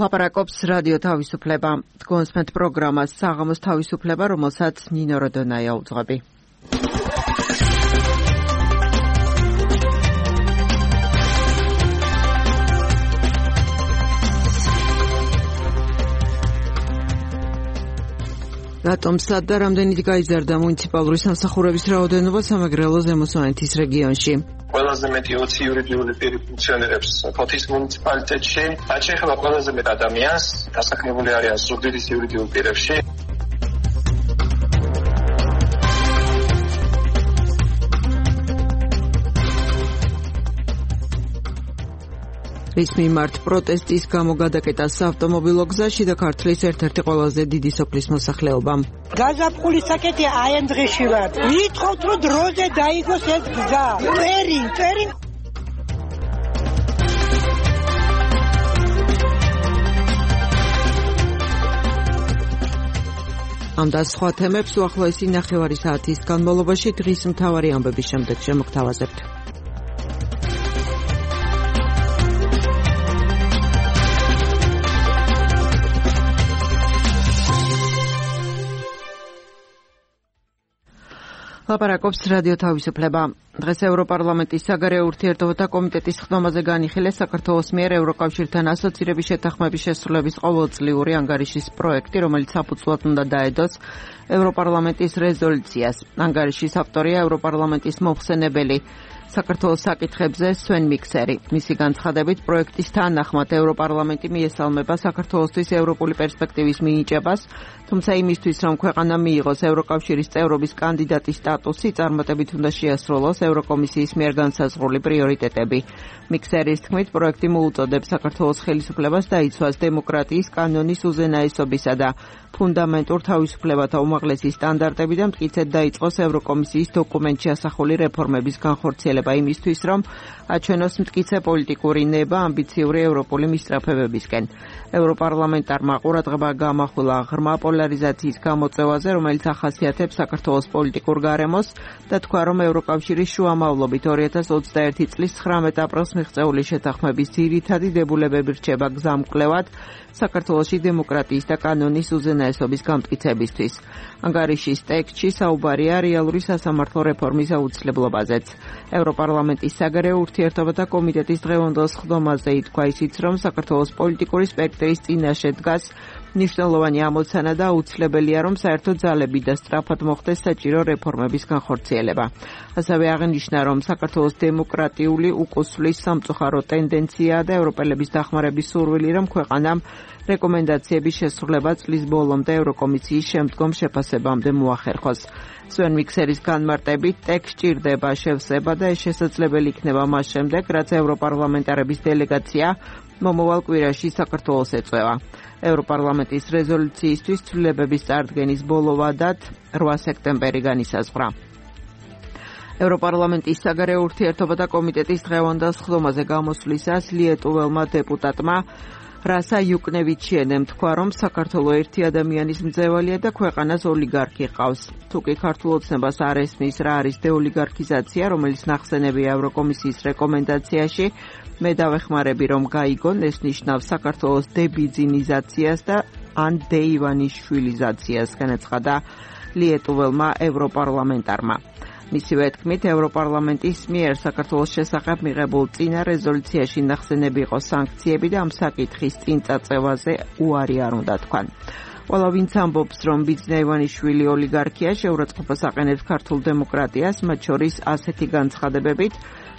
ლაპარაკობს რადიო თავისუფლება. გონსმენთ პროგრამას საღამოს თავისუფლება, რომელსაც ნინო როდონაია უძღვები. რატომ სად და რამდენით გაიზარდა მუნიციპალური სამსახურების რაოდენობა სამეგრელო ზემო სვანეთის რეგიონში? ყველაზე მეტი 20 იურიდიული პირი ფუნქციონირებს ფოთის მუნიციპალიტეტში. რაც შეეხება ყველაზე მეტ ადამიანს, დასაქმებული არიან ზუგდიდის იურიდიულ პირებში. რის მიმართ პროტესტის გამო გადაკეტა საავტომობილო გზაში და ქართლის ერთ-ერთი ყველაზე დიდი სოფლის მოსახლეობამ. გაზაფხულის საკეთე აი ამ დღეში ვარ. ვითხოვთ რომ დროზე დაიგოს ეს გზა. წერინ ამ და სხვა თემებს უახლოესი ნახევარი საათის განმავლობაში დღის მთავარი ამბების შემდეგ შემოგთავაზებთ. ლაპარაკობს რადიო თავისუფლება. დღეს ევროპარლამენტის საგარეო ურთიერთობათა კომიტეტის ხდომაზე განიხილეს საქართველოს მიერ ევროკავშირთან ასოცირების შეთანხმების შესრულების ყოველწლიური ანგარიშის პროექტი, რომელიც საფუძვლად უნდა დაედოს ევროპარლამენტის რეზოლუციას. ანგარიშის ავტორია ევროპარლამენტის მომხსენებელი საქართველოს საკითხებზე სვენ მიქსერი. მისი განცხადებით, პროექტის თანახმად ევროპარლამენტი მიესალმება საქართველოსთვის ევროპული პერსპექტივის მინიჭებას, თუმცა იმისთვის, რომ ქვეყანა მიიღოს ევროკავშირის წევრობის კანდიდატის სტატუსი, წარმატებით უნდა შეასრულოს ევროკომისიის მიერ განსაზღვრული პრიორიტეტები. მიქსერის თქმით, პროექტი მოუწოდებს საქართველოს ხელისუფლებას დაიცვას დემოკრატიის, კანონის უზენაესობისა და ფუნდამენტურ თავისუფლებათა უმაღლესი სტანდარტები და მტკიცედ დაიწყოს ევროკომისიის დოკუმენტში ასახული რეფორმების განხორციელება იმისთვის, რომ აჩვენოს მტკიცე პოლიტიკური ნება ამბიციური ევროპული მისწრაფებებისკენ. ევროპარლამენტარმა ყურადღება გამახვილა ღრმა პოლარიზაციის გამოწვევაზე, რომელიც ახასიათებს საქართველოს პოლიტიკურ გარემოს და თქვა, რომ ევროკავშირის შუამავლობით 2021 წლის 19 აპრილს მიღწეული შეთანხმების ძირითადი დებულებები რჩება გზამკვლევად საქართველოში დემოკრატიის და კანონის უზენაესობის გამტკიცებისთვის. ანგარიშის ტექსტში საუბარია რეალური სასამართლო რეფორმის აუცილებლობაზეც. ევროპარლამენტის საგარეო ურთიერთობათა კომიტეტის დღევანდელ ხდომაზე ითქვა ისიც, რომ საქართველოს პოლიტიკური სპექტრის წინაშე დგას მნიშვნელოვანი ამოცანა და აუცილებელია, რომ საერთო ძალები და სწრაფად მოხდეს საჭირო რეფორმების განხორციელება. ასევე აღნიშნა, რომ საქართველოს დემოკრატიული უკუსვლის სამწუხარო ტენდენციაა და ევროპელების დახმარების სურვილი, რომ ქვეყანამ რეკომენდაციების შესრულება წლის ბოლომდე ევროკომისიის შემდგომ შეფასებამდე მოახერხოს. სვენ მიქსერის განმარტებით, ტექსტ ჭირდება შევსება და ეს შესაძლებელი იქნება მას შემდეგ, რაც ევროპარლამენტარების დელეგაცია მომავალ კვირაში საქართველოს ეწევა. ევროპარლამენტის რეზოლუციისთვის ცვლილებების წარდგენის ბოლო ვადად 8 სექტემბერი განისაზღვრა. ევროპარლამენტის საგარეო ურთიერთობათა კომიტეტის დღევანდელ ხდომაზე გამოსვლისას ლიეტუველმა დეპუტატმა რასა იუკნევიჩიენემ თქვა, რომ საქართველოს ერთი ადამიანის მძევალია და ქვეყანას ოლიგარქი ყავს. თუ კი ქართულ ოცნებას არ ესმის რა არის დეოლიგარქიზაცია, რომელიც ნახსენებია ევროკომისიის რეკომენდაციაში, მე დავეხმარები, რომ გაიგონ, ეს ნიშნავს საქართველოს დებიძინიზაციას და ან დეივანიშვილიზაციას, განაცხადა ლიეტუველმა ევროპარლამენტარმა. მისივე თქმით, ევროპარლამენტის მიერ საქართველოს შესახებ მიღებულ წინა რეზოლუციაში ნახსენები იყო სანქციები და ამ საკითხის წინ წაწევაზე უარი არ უნდა თქვან. ყველა ვინც ამბობს, რომ ბიძინა ივანიშვილი ოლიგარქია, შეურაცხყოფას აყენებს ქართულ დემოკრატიას, მათ შორის ასეთი განცხადებებით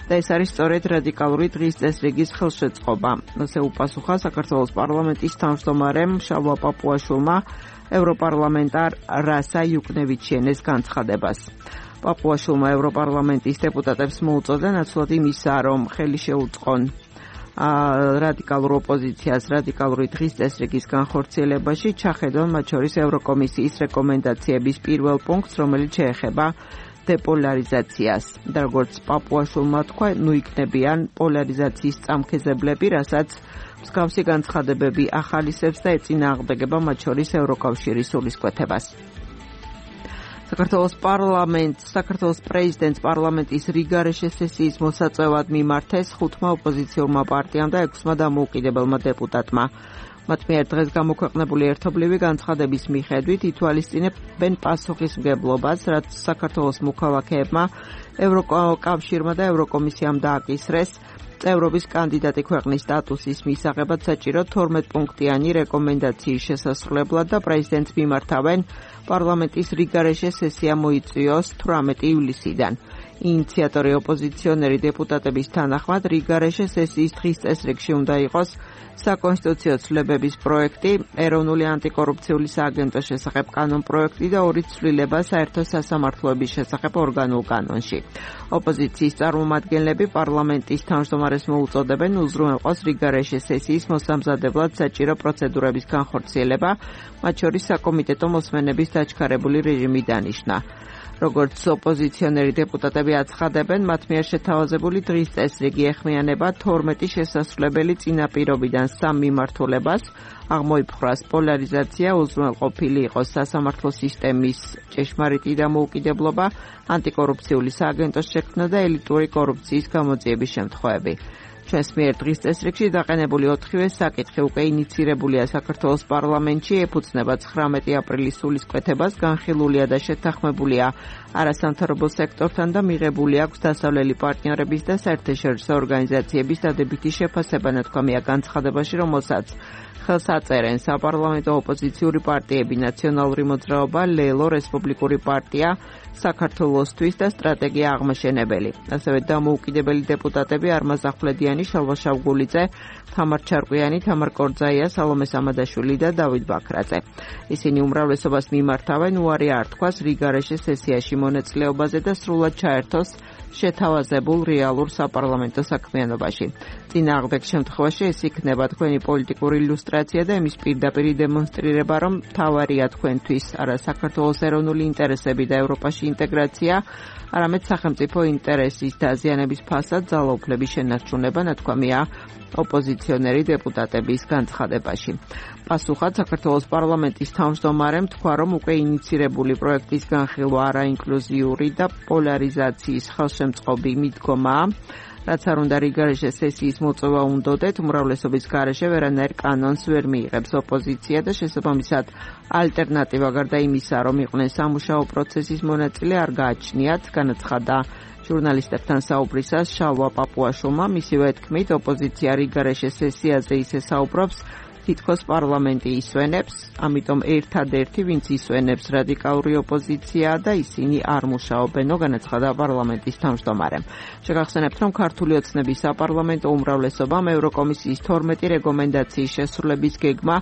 და ეს არის სწორედ რადიკალური დღის წესრიგის ხელშეწყობა. ასე უპასუხა საქართველოს პარლამენტის თავმჯდომარემ შალვა პაპუაშვილმა ევროპარლამენტარ რასა იუკნევიჩიენეს განცხადებას. პაპუაშვილმა ევროპარლამენტის დეპუტატებს მოუწოდა ნაცვლად იმისა, რომ ხელი შეუწყონ რადიკალურ ოპოზიციას რადიკალური დღის წესრიგის განხორციელებაში, ჩახედონ მათ შორის ევროკომისიის რეკომენდაციების პირველ პუნქტს, რომელიც შეეხება დეპოლარიზაციას. და როგორც პაპუაშვილმა თქვა, იქნებიან პოლარიზაციის წამქეზებლები, რასაც მსგავსი განცხადებები ახალისებს და ეწინააღმდეგება მათ შორის ევროკავშირის სულისკვეთებას. საქართველოს პრეზიდენტს პარლამენტის რიგარეშე სესიის მოსაწვევად მიმართეს 5 ოპოზიციურმა პარტიამ და 6 დამოუკიდებელმა დეპუტატმა. მათ მიერ დღეს გამოქვეყნებული ერთობლივი განცხადების მიხედვით ითვალისწინებენ პასუხისმგებლობას, რაც საქართველოს მოქალაქეებმა ევროკავშირმა და ევროკომისიამ დააკისრეს წევრობის კანდიდატი ქვეყნის სტატუსის მისაღებად საჭირო 12 პუნქტიანი რეკომენდაციის შესასრულებლად და პრეზიდენტს მიმართავენ პარლამენტის რიგარეშე სესია მოიწვიოს 18 ივლისიდან. ინიციატორი ოპოზიციონერი დეპუტატების თანახმად რიგარეშე სესიის დღის წესრიგში უნდა იყოს საკონსტიტუციო ცვლილებების პროექტი, ეროვნული ანტიკორუფციული სააგენტოს შესახებ კანონპროექტი და ორი ცვლილება საერთო სასამართლოების შესახებ ორგანულ კანონში. ოპოზიციის წარმომადგენლები პარლამენტის თავმჯდომარეს მოუწოდებენ უზრუნველყოს რიგარეშე სესიის მოსამზადებლად საჭირო პროცედურების განხორციელება, მათ შორის საკომიტეტო მოსმენების დაჩქარებული რეჟიმი დანიშნა. როგორც ოპოზიციონერი დეპუტატები აცხადებენ, მათ მიერ შეთავაზებული დღის წესრიგი ეხმიანება 12 შესასრულებელი წინაპირობიდან 3 მიმართულებას, აღმოიფხვრას პოლარიზაცია, უზრუნველყოფილი იყოს სასამართლო სისტემის ჭეშმარიტი დამოუკიდებლობა, ანტიკორუფციული სააგენტოს შექმნა და ელიტური კორუფციის გამოძიების შემთხვევები. ჩვენს მიერ დღის წესრიგში დაყენებული 4-ვე საკითხი უკვე ინიცირებულია საქართველოს პარლამენტში, ეფუძნება 19 აპრილის სულისკვეთებას, განხილულია და შეთანხმებულია არასამთავრობო სექტორთან და მიღებული აქვს დასავლელი პარტნიორების და საერთაშორისო ორგანიზაციების დადებითი შეფასება, ნათქვამია განცხადებაში, რომელსაც ხელს აწერენ საპარლამენტო ოპოზიციური პარტიები, ნაციონალური მოძრაობა, ლელო, რესპუბლიკური პარტია, საქართველოსთვის და სტრატეგია აღმაშენებელი. ასევე დამოუკიდებელი დეპუტატები არმაზ ახვლედიანი, შალვა შავგულიძე, თამარ ჩარკვიანი, თამარ კორძაია, სალომე სამადაშვილი და დავით ბაქრაძე. ისინი უმრავლესობას მიმართავენ უარი არ თქვას რიგარეშე სესიაში მონაწილეობაზე და სრულად ჩაერთოს შეთავაზებულ რეალურ საპარლამენტო საქმიანობაში. წინააღმდეგ შემთხვევაში ეს იქნება თქვენი პოლიტიკური ილუსტრაცია და იმის პირდაპირ დემონსტრირება, რომ მთავარია თქვენთვის არა საქართველოს ეროვნული ინტერესები და ევროპაში ინტეგრაცია, არამედ სახელმწიფო ინტერესის დაზიანების ფასად ძალაუფლების შენარჩუნება, ნათქვამია ოპოზიციონერი დეპუტატების განცხადებაში. პასუხად საქართველოს პარლამენტის თავმჯდომარემ თქვა, რომ უკვე ინიცირებული პროექტის განხილვა არაინკლუზიური და პოლარიზაციის ხელშემწყობი მიდგომაა, რაც არ უნდა რიგარეშე სესიის მოწვევა უნდოდეთ, უმრავლესობის გარეშე ვერანაირ კანონს ვერ მიიღებს ოპოზიცია და შესაბამისად ალტერნატივა გარდა იმისა, რომ იყვნენ სამუშაო პროცესის მონაწილე, არ გააჩნიათ, განაცხადა ჟურნალისტებთან საუბრისას შალვა პაპუაშვილმა. მისივე თქმით, ოპოზიცია რიგარეშე სესიაზე ისე საუბრობს, თითქოს პარლამენტი ისვენებს, ამიტომ ერთადერთი, ვინც ისვენებს რადიკალური ოპოზიციაა და ისინი არ მუშაობენო, განაცხადა პარლამენტის თავმჯდომარემ. შეგახსენებთ, რომ ქართული ოცნების საპარლამენტო უმრავლესობამ ევროკომისიის 12 რეკომენდაციის შესრულების გეგმა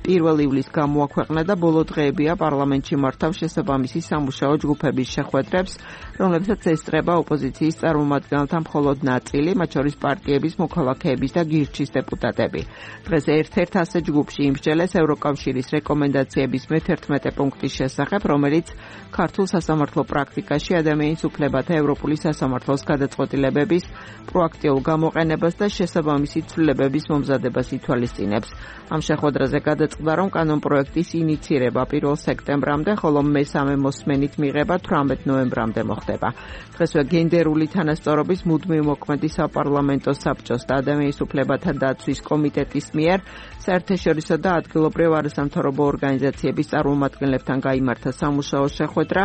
1 ივლისს გამოაქვეყნა და ბოლო დღეებია პარლამენტში მართავს შესაბამისი სამუშაო ჯგუფების შეხვედრებს, რომლებსაც ესწრება ოპოზიციის წარმომადგენელთა მხოლოდ ნაწილი, მათ შორის პარტიების, მოქალაქეების და გირჩის დეპუტატები. დღეს ერთ-ერთ ასე ჯგუფში იმსჯელეს ევროკავშირის რეკომენდაციების მე-11 პუნქტის შესახებ, რომელიც ქართულ სასამართლო პრაქტიკაში ადამიანის უფლებათა ევროპული სასამართლოს გადაწყვეტილებების პროაქტიულ გამოყენებას და შესაბამისი ცვლილებების მომზადებას ითვალისწინებს. ამ შეხვედრაზე გადაწყდა, რომ კანონპროექტის ინიცირება 1 სექტემბრამდე, ხოლო მესამე მოსმენით მიღება 18 ნოემბრამდე მოხდება. დღესვე გენდერული თანასწორობის მუდმივ მოქმედი საპარლამენტო საბჭოს და ადამიანის უფლებათა დაცვის კომიტეტის მიერ საერთაშორისო და ადგილობრივ არასამთავრობო ორგანიზაციების წარმომადგენლებთან გაიმართა სამუშაო შეხვედრა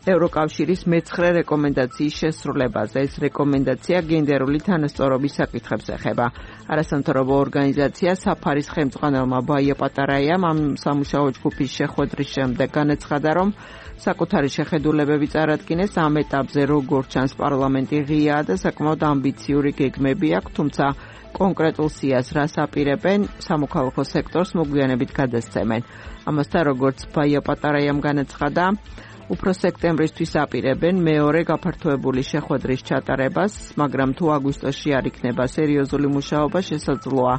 ევროკავშირის მე-9 რეკომენდაციის შესრულებაზე. ეს რეკომენდაცია გენდერული თანასწორობის საკითხებს ეხება. არასამთავრობო ორგანიზაცია საფარის ხელმძღვანელმა ბაია პატარაიამ ამ სამუშაო ჯგუფის შეხვედრის შემდეგ განაცხადა, რომ საკუთარი შეხედულებები წარადგინეს ამ ეტაპზე, როგორც ჩანს პარლამენტი ღიაა და საკმაოდ ამბიციური გეგმები აქვს, თუმცა კონკრეტულ სიას რას აპირებენ, სამოქალაქო სექტორს მოგვიანებით გადასცემენ. ამასთან, როგორც ბაია პატარაიამ განაცხადა, უფრო სექტემბრისთვის აპირებენ მეორე გაფართოებული შეხვედრის ჩატარებას, მაგრამ თუ აგვისტოში არ იქნება სერიოზული მუშაობა, შესაძლოა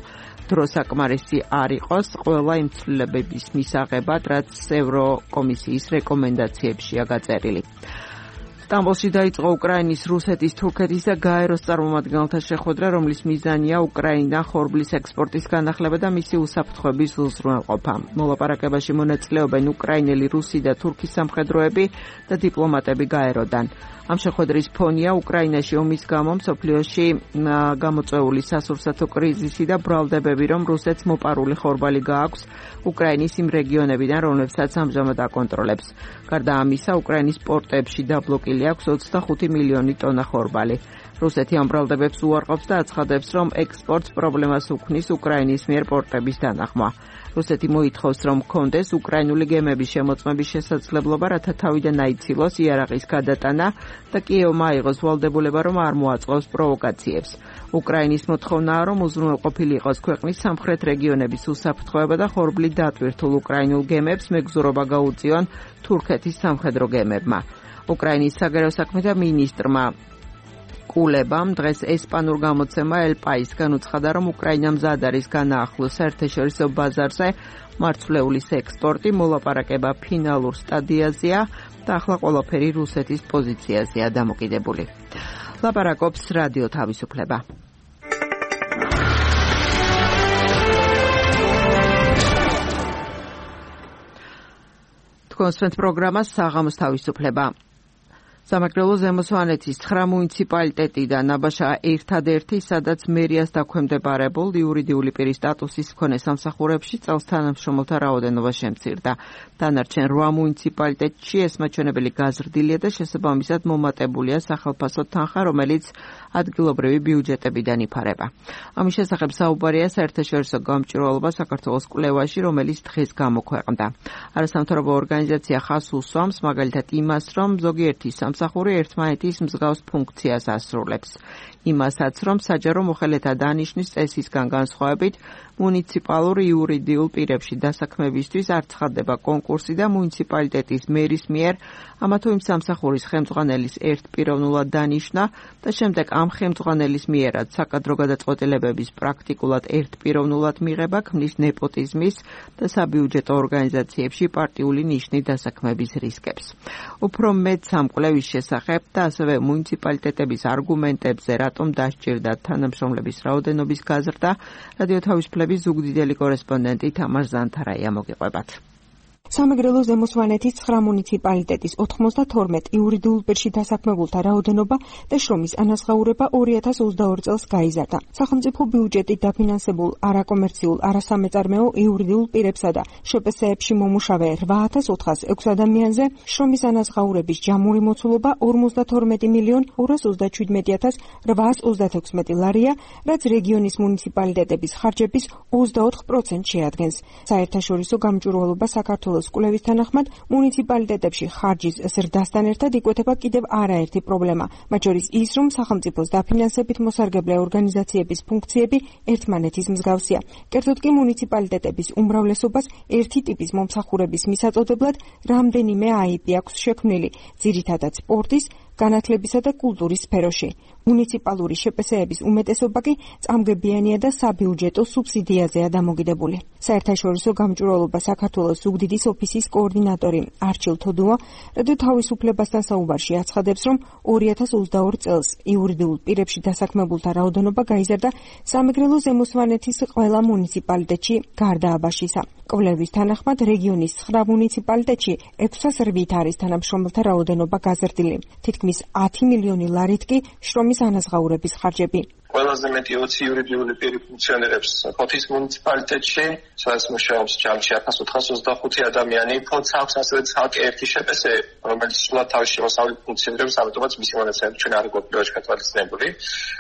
დრო საკმარისი არ იყოს ყველა იმ ცვლილებების მისაღებად, რაც ევროკომისიის რეკომენდაციებშია გაწერილი. სტამბოლში დაიწყო უკრაინის, რუსეთის, თურქეთის და გაეროს წარმომადგენელთა შეხვედრა, რომლის მიზანია უკრაინა ხორბლის ექსპორტის განახლება და მისი უსაფრთხოების უზრუნველყოფა. მოლაპარაკებაში მონაწილეობენ უკრაინელი, რუსი და თურქი სამხედროები და დიპლომატები გაეროდან. ამ შეხვედრის ფონია უკრაინაში ომის გამო მსოფლიოში გამოწვეული სასურსათო კრიზისი და ბრალდებები, რომ რუსეთს მოპარული ხორბალი გააქვს უკრაინის იმ რეგიონებიდან, რომლებსაც ამჟამად აკონტროლებს. გარდა ამისა, უკრაინის პორტებში დაბლოკილი აქვს 25 მილიონი ტონა ხორბალი. რუსეთი ამ ბრალდებებს უარყოფს და აცხადებს, რომ ექსპორტს პრობლემას უქმნის უკრაინის მიერ პორტების დანახმა. რუსეთი მოითხოვს, რომ ჰქონდეს უკრაინული გემების შემოწმების შესაძლებლობა, რათა თავიდან აიცილოს იარაღის გადატანა და კიევმა აიღოს ვალდებულება, რომ არ მოაწყოს პროვოკაციებს. უკრაინის მოთხოვნაა, რომ უზრუნველყოფილი იყოს ქვეყნის სამხრეთ რეგიონების უსაფრთხოება და ხორბლით დატვირთულ უკრაინულ გემებს მეგზურობა გაუწიონ თურქეთის სამხედრო გემებმა. უკრაინის საგარეო საქმეთა მინისტრმა კულებამ დღეს ესპანურ გამოცემა El País-გან უცხადა, რომ უკრაინა მზად არის განაახლოს საერთაშორისო ბაზარზე მარცვლეულის ექსპორტი, მოლაპარაკება ფინალურ სტადიაზეა და ახლა ყველაფერი რუსეთის პოზიციაზეა დამოკიდებული. ლაპარაკობს რადიო თავისუფლება. თქვენ სვენთ პროგრამას საღამოს თავისუფლება. სამეგრელო ზემო სვანეთის 9 მუნიციპალიტეტიდან აბაშა ერთადერთი, სადაც მერიას დაქვემდებარებულ იურიდიული პირის სტატუსის მქონე სამსახურებში წელს თანამშრომელთა რაოდენობა შემცირდა. დანარჩენ 8 მუნიციპალიტეტში ეს მაჩვენებელი გაზრდილია და შესაბამისად მომატებულია სახელფასო თანხა, რომელიც ადგილობრივი ბიუჯეტებიდან იფარება. ამის შესახებ საუბარია საერთაშორისო გამჭვირვალობა საქართველოს კვლევაში, რომელიც დღეს გამოქვეყნდა. არასამთავრობო ორგანიზაცია ხაზს უსვამს მაგალითად იმას, რომ ზოგიერთი სამსახური ერთმანეთის მსგავს ფუნქციას ასრულებს. იმასაც, რომ საჯარო მოხელეთა დანიშვნის წესისგან განსხვავებით მუნიციპალურ იურიდიულ პირებში დასაქმებისთვის არ ცხადდება კონკურსი და მუნიციპალიტეტის მერის მიერ ამა თუ იმ სამსახურის ხელმძღვანელის ერთპიროვნულად დანიშვნა და შემდეგ ამ ხელმძღვანელის მიერაც საკადრო გადაწყვეტილებების პრაქტიკულად ერთპიროვნულად მიღება ქმნის ნეპოტიზმის და საბიუჯეტო ორგანიზაციებში პარტიული ნიშნის დასაქმების რისკებს. უფრო მეტ სამკვლევის შესახებ და ასევე მუნიციპალიტეტების არგუმენტებზე, რატომ დასჭირდა თანამშრომლების რაოდენობის გაზრდა, რადიო თავისუფლების ზუგდიდელი კორესპონდენტი თამარ ზანთარაია მოგიყვებათ. სამეგრელო ზემო სვანეთის 9 მუნიციპალიტეტის 92 იურიდიულ პირში დასაქმებულთა რაოდენობა და შრომის ანაზღაურება 2022 წელს გაიზარდა. სახელმწიფო ბიუჯეტით დაფინანსებულ არაკომერციულ, არასამეწარმეო იურიდიულ პირებსა და შპს-ებში მომუშავე 8406 ადამიანზე შრომის ანაზღაურების ჯამური მოცულობა 52,217,836 ლარია, რაც რეგიონის მუნიციპალიტეტების ხარჯების 24% შეადგენს. საერთაშორისო გამჭვირვალობა საქართველოს კვლევის თანახმად მუნიციპალიტეტებში ხარჯის ზრდასთან ერთად იკვეთება კიდევ არაერთი პრობლემა, მათ შორის ის, რომ სახელმწიფოს დაფინანსებით მოსარგებლე ორგანიზაციების ფუნქციები ერთმანეთის მსგავსია. კერძოდ კი მუნიციპალიტეტების უმრავლესობას ერთი ტიპის მომსახურების მისაწოდებლად რამდენიმე აიპი აქვს შექმნილი, ძირითადად სპორტის, განათლებისა და კულტურის სფეროში. მუნიციპალური შპს-ების უმეტესობა კი წამგებიანია და საბიუჯეტო სუბსიდიაზეა დამოკიდებული. საერთაშორისო გამჭვირვალობა საქართველოს ზუგდიდის ოფისის კოორდინატორი არჩილ თოდუა რადიო თავისუფლებასთან საუბარში აცხადებს, რომ 2022 წელს იურიდიულ პირებში დასაქმებულთა რაოდენობა გაიზარდა სამეგრელო ზემო სვანეთის ყველა მუნიციპალიტეტში გარდა აბაშისა. კვლევის თანახმად რეგიონის 9 მუნიციპალიტეტში 608 არის თანამშრომელთა რაოდენობა გაზრდილი. თითქმის 10 მილიონი ლარით კი შრომის ანაზღაურების ხარჯები. ყველაზე მეტი 20 იურიდიული პირი ფუნქციონირებს ფოთის მუნიციპალიტეტში, სადაც მუშაობს ჯამში 1425 ადამიანი. ფოთს აქვს ასევე ცალკე ერთი შპს, რომელიც სულად თავის შემოსავლით ფუნქციონირებს, ამიტომაც მისი მონაცემები ჩვენ არ გვაქვს გათვალისწინებული.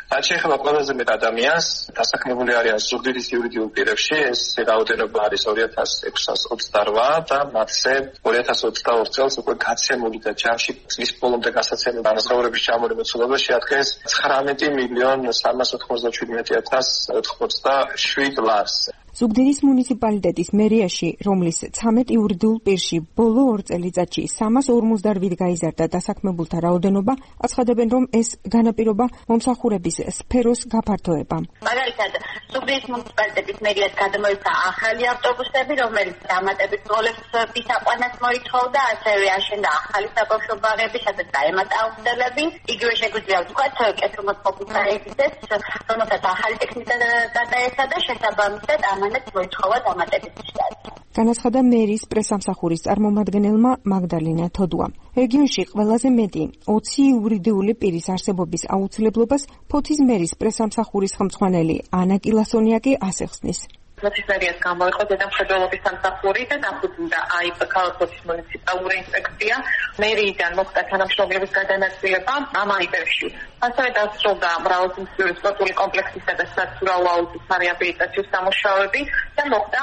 რაც შეეხება ყველაზე მეტ ადამიანს, დასაქმებული არიან ზუგდიდის იურიდიულ პირებში, ეს რაოდენობა არის 2628 და მათზე 2022 წელს უკვე გაცემული და ჯამში წლის ბოლომდე გასაცემული ანაზღაურების ჯამური მოცულობა შეადგენს 19,387,087 ლარს. ზუგდიდის მუნიციპალიტეტის მერიაში, რომლის 13 იურიდიულ პირში ბოლო 2 წელიწადში 358 გაიზარდა დასაქმებულთა რაოდენობა, აცხადებენ, რომ ეს განაპირობა მომსახურების სფეროს გაფართოება. მაგალითად, ზუგდიდის მუნიციპალიტეტის მერიას გადმოიცა ახალი ავტობუსები, რომელიც დამატებით როლების აყვანას მოითხოვდა, ასევე აშენდა ახალი საბავშვო ბაღები, სადაც დაემატა აუცილებლები. იგივე შეგვიძლია ვთქვათ, კეთილმოწყობის საერთაშორისო რომელსაც ახალი ტექნიკა გადაეცა და შესაბამისად ამანაც მოითხოვა დამატებით შტატი. განაცხადა მერის პრესამსახურის წარმომადგენელმა მაგდალინა თოდუამ. რეგიონში ყველაზე მეტი 20 იურიდიული პირის არსებობის აუცილებლობას ფოთის მერის პრესამსახურის ხელმძღვანელი ანა კილასონია კი ასე ხსნის. ფოთის მერიას გამოიყო ზედამხედველობის სამსახური და დახუძნდა ქალაქის მუნიციპალური ინსპექცია. მერიიდან მოხდა თანამშრომლობის გადანაწილება ამ აიპებში. ასევე დასრულდა მრავალფუნქციური სპორტული კომპლექსისა და საცურაო აუზის რეაბილიტაციო სამუშაოები და მოხდა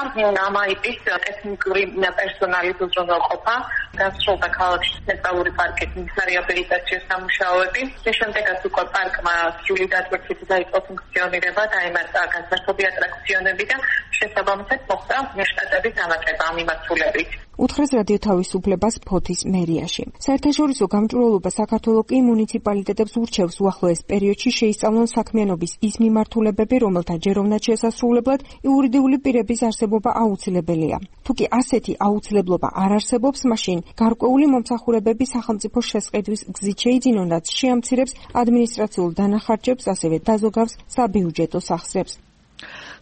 ამ აიპის ტექნიკური პერსონალის უზრუნველყოფა. დასრულდა ქალაქში ცენტრალური პარკის რეაბილიტაციო სამუშაოები. შემდეგაც უკვე პარკმა სრული დატვირთვით დაიწყო ფუნქციონირება, დაემატა განსაკუთრებული ატრაქციონები და შესაბამისად მოხდა შტატების დამატება ამ მიმართულებით. უთხრეს რადიო თავისუფლებას ფოთის მერიაში. საერთაშორისო გამჭვირვალობა საქართველოს კი მუნიციპალიტეტებს ურჩევს უახლოეს პერიოდში შეისწავლონ საქმიანობის ის მიმართულებები, რომელთა ჯეროვნად შესასრულებლად იურიდიული პირების არსებობა აუცილებელია. თუ კი ასეთი აუცილებლობა არ არსებობს, მაშინ გარკვეული მომსახურებები სახელმწიფოს შესყიდვის გზით შეიძინონ, რაც შეამცირებს ადმინისტრაციულ დანახარჯებს, ასევე დაზოგავს საბიუჯეტო სახსრებს.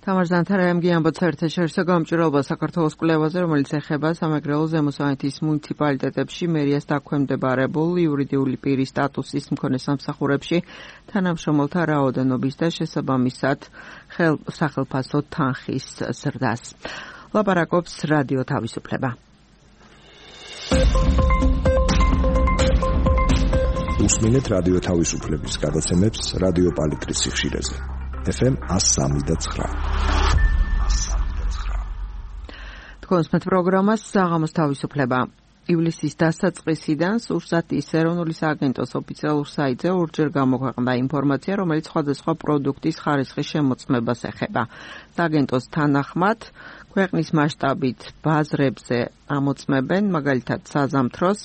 თამარ ზანთარაიამ გიამბოთ საერთაშორისო გამჭვირვალობა საქართველოს კვლევაზე, რომელიც ეხება სამეგრელო ზემოსვანეთის მუნიციპალიტეტებში მერიას დაქვემდებარებულ იურიდიული პირის სტატუსის მქონე სამსახურებში თანამშრომელთა რაოდენობის და შესაბამისად სახელმწიფო თანხის ზრდას. ლაპარაკობს რადიო თავისუფლება. უსმინეთ რადიო თავისუფლების გადაცემებს რადიო პალიტრის სიხშირეზე. FM 103.9. თქვენს პროგრამას საღამოს თავისუფლება. ივლისის დასაწყისიდან სურსათის ეროვნული სააგენტოს ოფიციალურ საიტზე ორჯერ გამოქვეყნდა ინფორმაცია, რომელიც სხვადასხვა პროდუქტის ხარისხის შემოწმებას ეხება. სააგენტოს თანახმად, ქვეყნის მასშტაბით ბაზრებზე ამოწმებენ, მაგალითად საზამთროს,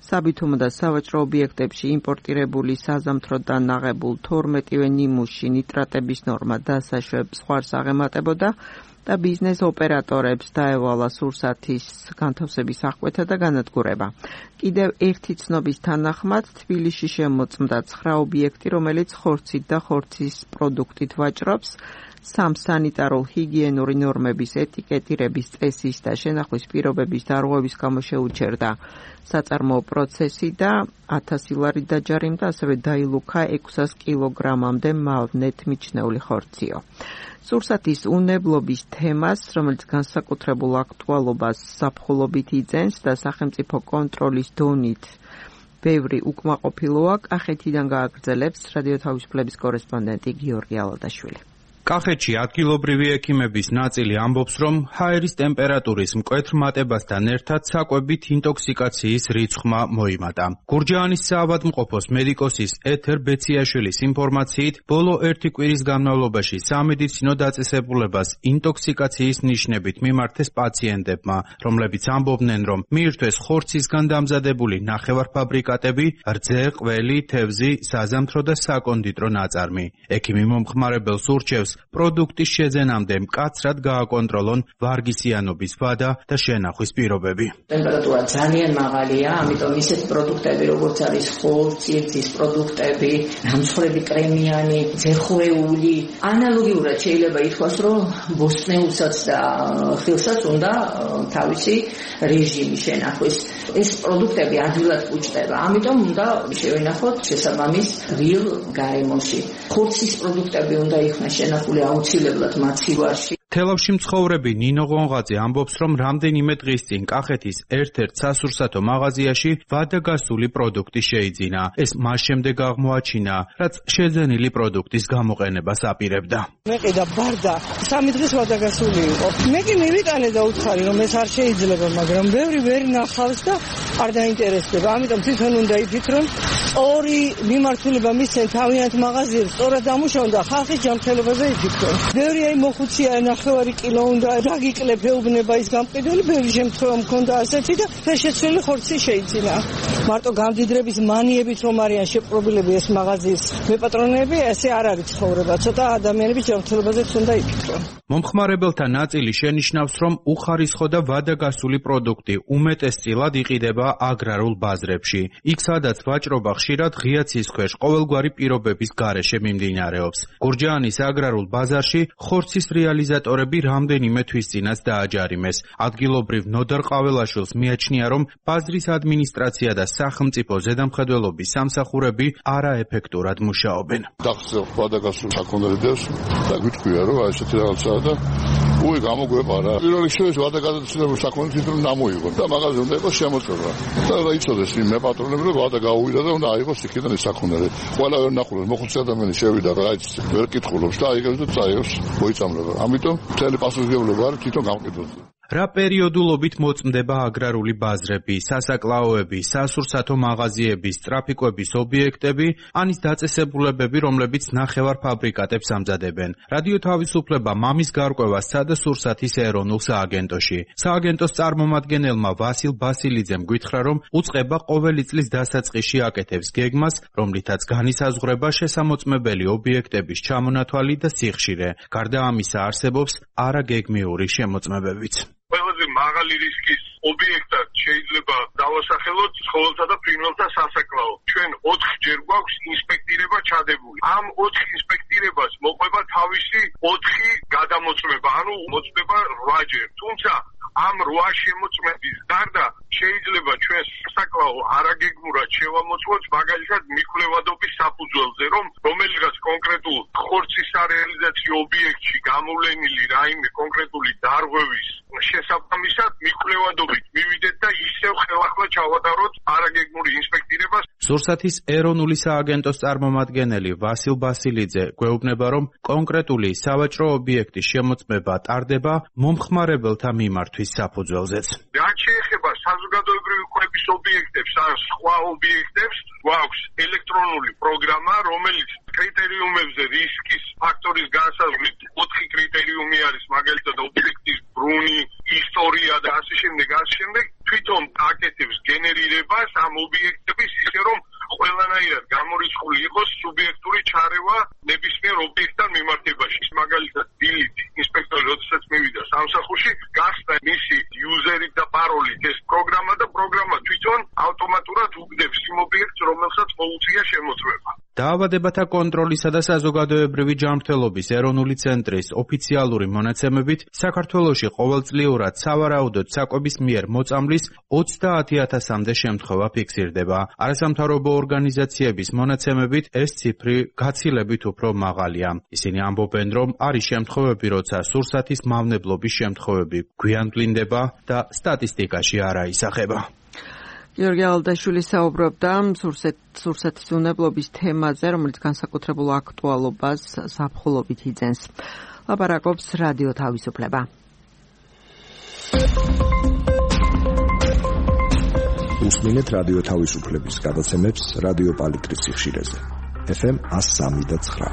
საბითუმო და სავაჭრო ობიექტებში იმპორტირებული საზამთროდან ნაღებულ 12-ვე ნიმუში ნიტრატების ნორმა დასაშვებს ხوار აღემატებოდა და ბიზნეს ოპერატორებს დაევალა სურსათის განთავსების აღკვეთა და განადგურება. კიდევ ერთი ცნობის თანახმად თბილისში შემოწმდა 9 ობიექტი, რომელიც ხორცით და ხორცის პროდუქტით ვაჭრობს. სამსანიტარო ჰიგიენური ნორმების ეტიკეტირების წესის და შენახვის პირობების დარღვევის გამო შეუჩერდა საწარმოო პროცესი და 1000 ლარი დაჯარიმდა, ასევე დაილუქა 600 კილოგრამამდე მავნეთ მიჩნეული ხორციო. სურსათის უნებლობის თემას, რომელიც განსაკუთრებულ აქტუალობას ზაფხულობით იძენს და სახელმწიფო კონტროლის დონით ბევრი უკმაყოფილოა, კახეთიდან გააგრძელებს რადიო თავისუფლების კორესპონდენტი გიორგი ალადაშვილი. კახეთში ადგილობრივი ექიმების ნაწილი ამბობს, რომ ჰაერის ტემპერატურის მკვეთრ მატებასთან ერთად საკვებით ინტოქსიკაციის რიცხვმა მოიმატა. გურჯაანის საავადმყოფოს მედიკოსის ეთერ ბეციაშვილის ინფორმაციით, ბოლო 1 კვირის განმავლობაში სამედიცინო დაწესებულებას ინტოქსიკაციის ნიშნებით მიმართეს პაციენტებმა, რომლებიც ამბობდნენ, რომ მიირთვეს ხორცისგან დამზადებული ნახევარფაბრიკატები, რძე, ყველი, თევზი, საზამთრო და საკონდიტრო ნაწარმი. ექიმი მომხმარებელს ურჩევს პროდუქტის შეძენამდე მკაცრად გააკონტროლონ ვარგისიანობის ვადა და შენახვის პირობები. ტემპერატურა ძალიან მაღალია, ამიტომ ისეთ პროდუქტები, როგორც არის ხორცის პროდუქტები, გამცხვრები კრემიანი, ძეხვეული, ანალოგიურად შეიძლება ითქვას, რომ ბოსტნეულსაც და ხილსაც უნდა თავისი რეჟიმი შენახვის. ეს პროდუქტები ადვილად ბუჩდება, ამიტომ უნდა შევენახოთ შესაბამის რილ გარემოში. ხორცის პროდუქტები უნდა იქნას შენახული აუცილებლად მაცივარში. თელავში მცხოვრები ნინო ღონღაძე ამბობს, რომ რამდენიმე დღის წინ კახეთის ერთ-ერთ სასურსათო მაღაზიაში ვადაგასული პროდუქტი შეიძინა. ეს მას შემდეგ აღმოაჩინა, რაც შეძენილი პროდუქტის გამოყენებას აპირებდა. მე ყიდა ბარდა 3 დღის ვადაგასული იყო. მე კი მივიტანე და უთხარი, რომ ეს არ შეიძლება, მაგრამ ბევრი ვერ ნახავს და არ დაინტერესდება. ამიტომ თვითონ უნდა იფიქრონ, ორი მიმართულება მისცენ თავიანთ მაღაზიებს, სწორად ამუშავონ და ხალხის ჯანმრთელობაზე იფიქრონ. ბევრი მოხუცია ნახე ნახევარი კილო უნდა დაგიკლებ ეუბნება ის გამყიდველი, ბევრი შემთხვევა მქონდა ასეთი და შეცვლილი ხორცი შეიძინა. მარტო გამდიდრების მანიებით რომ არიან შეპყრობილები ეს მაღაზიის მეპატრონეები, ესე არ არის ცხოვრება. ცოტა ადამიანების ჯანმრთელობაზეც უნდა იფიქრონ. მომხმარებელთა ნაწილი შენიშნავს, რომ უხარისხო და ვადაგასული პროდუქტი უმეტესწილად იყიდება აგრარულ ბაზრებში. იქ, სადაც ვაჭრობა ხშირად ღია ცის ქვეშ ყოველგვარი პირობების გარეშე მიმდინარეობს. გურჯაანის აგრარულ ბაზარში ხორცის რეალიზატორები რამდენიმე თვის წინაც დააჯარიმეს. ადგილობრივ ნოდარ ყაველაშვილს მიაჩნია, რომ ბაზრის ადმინისტრაცია და სახელმწიფო ზედამხედველობის სამსახურები არაეფექტურად მუშაობენ. დახსოვ ვადაგასულ საქონელებს და გვიტყვია, რომ ესეთი რაღაცაა და უი გამოგვეყარა. პირველ რიგში ვადაგასულ საქონელს თვითონ დამოიღო და მაღაზია უნდა იყოს შემოწმება. და იცოდეს იმ მეპატრონები, რომ ვადა გაუვიდა და უნდა აიღოს იქიდან ეს საქონელი. ყველა ვერ ნახულობს, მოხუცი ადამიანი შევიდა და რაიც ვერ კითხულობს და აიღებს და წაიღებს მოიწამლება. ამიტომ მთელი პასუხისმგებლობა არის თვითონ გამყიდველზე. რა პერიოდულობით მოწმდება აგრარული ბაზრები, სასაკლაოები, სასურსათო მაღაზიები, ტრაფიკების ობიექტები, ან ის დაწესებულებები, რომლებიც ნახევარ ფაბრიკატებს ამზადებენ. რადიო თავისუფლება მამის გარკვევა სცადა სურსათის ეროვნულ სააგენტოში. სააგენტოს წარმომადგენელმა ვასილ ბასილიძემ გითხრა, რომ უწყება ყოველი წლის დასაწყისში აკეთებს გეგმას, რომლითაც განისაზღვრება შესამოწმებელი ობიექტების ჩამონათვალი და სიხშირე. გარდა ამისა არსებობს არაგეგმიური შემოწმებებიც. ყველაზე მაღალი რისკის ობიექტად შეიძლება დავასახელოთ ცხოველთა და ფრინველთა სასაკლაო. ჩვენ 4 ჯერ გვაქვს ინსპექტირება ჩადებული. ამ 4 ინსპექტირებას მოყვება თავისი 4 გადამოწმება, ანუ მოწმება 8 ჯერ. თუმცა ამ 8 შემოწმების გარდა შეიძლება ჩვენ სასაკლაო არაგეგმურად შევამოწმოთ, მაგალითად მიკვლევადობის საფუძველზე, რომელიღაც კონკრეტულ ხორცის სარეალიზაციო ობიექტში გამოვლენილი რაიმე კონკრეტული დარღვევის შესაბამისად მიკვლევადობით მივიდეთ და ისევ ხელახლა ჩავატაროთ არაგეგმური ინსპექტირებას. სურსათის ეროვნული სააგენტოს წარმომადგენელი ვასილ ბასილიძე გვეუბნება, რომ კონკრეტული სავაჭრო ობიექტის შემოწმება ტარდება მომხმარებელთა მიმართვის საფუძველზეც. რაც შეეხება საზოგადოებრივი კვების ობიექტებს ან სხვა ობიექტებს, გვაქვს ელექტრონული პროგრამა, რომელიც კრიტერიუმებზე რისკის ფაქტორის განსაზღვრით 4 კრიტერიუმი არის, მაგალითად ობიექტის ბრუნი, ისტორია და ასე შემდეგ. თვითონ აკეთებს გენერირებას ამ ობიექტების ისე რომ ყველანაირად გამორიცხული იყოს სუბიექტური ჩარევა ნებისმიერ ობიექტთან მიმართებაში. მაგალითად, დილით ინსპექტორი როდესაც მივიდა სამსახურში, გასწდა მისი იუზერით და პაროლით ეს პროგრამა და პროგრამა თვითონ ავტომატურად უგდებს იმ ობიექტს, რომელსაც მოუწია შემოწმება. დაავადებათა კონტროლისა და საზოგადოებრივი ჯანმრთელობის ეროვნული ცენტრის ოფიციალური მონაცემებით, საქართველოში ყოველწლიურად სავარაუდოდ საკვების მიერ მოწამვლის 30,000-მდე შემთხვევა ფიქსირდება. არასამთავრობო ორგანიზაციების მონაცემებით ეს ციფრი გაცილებით უფრო მაღალია. ისინი ამბობენ, რომ არის შემთხვევები, როცა სურსათის მავნებლობის შემთხვევები გვიანვლინდება და სტატისტიკაში არ აისახება. გიორგი ალდაშვილი საუბრობდა სურსათის უვნებლობის თემაზე, რომელიც განსაკუთრებულ აქტუალობას ზაფხულობით იძენს. ლაპარაკობს რადიო თავისუფლება. უსმინეთ რადიო თავისუფლების გადაცემებს რადიო პალიტრის სიხშირეზე. FM 103.9.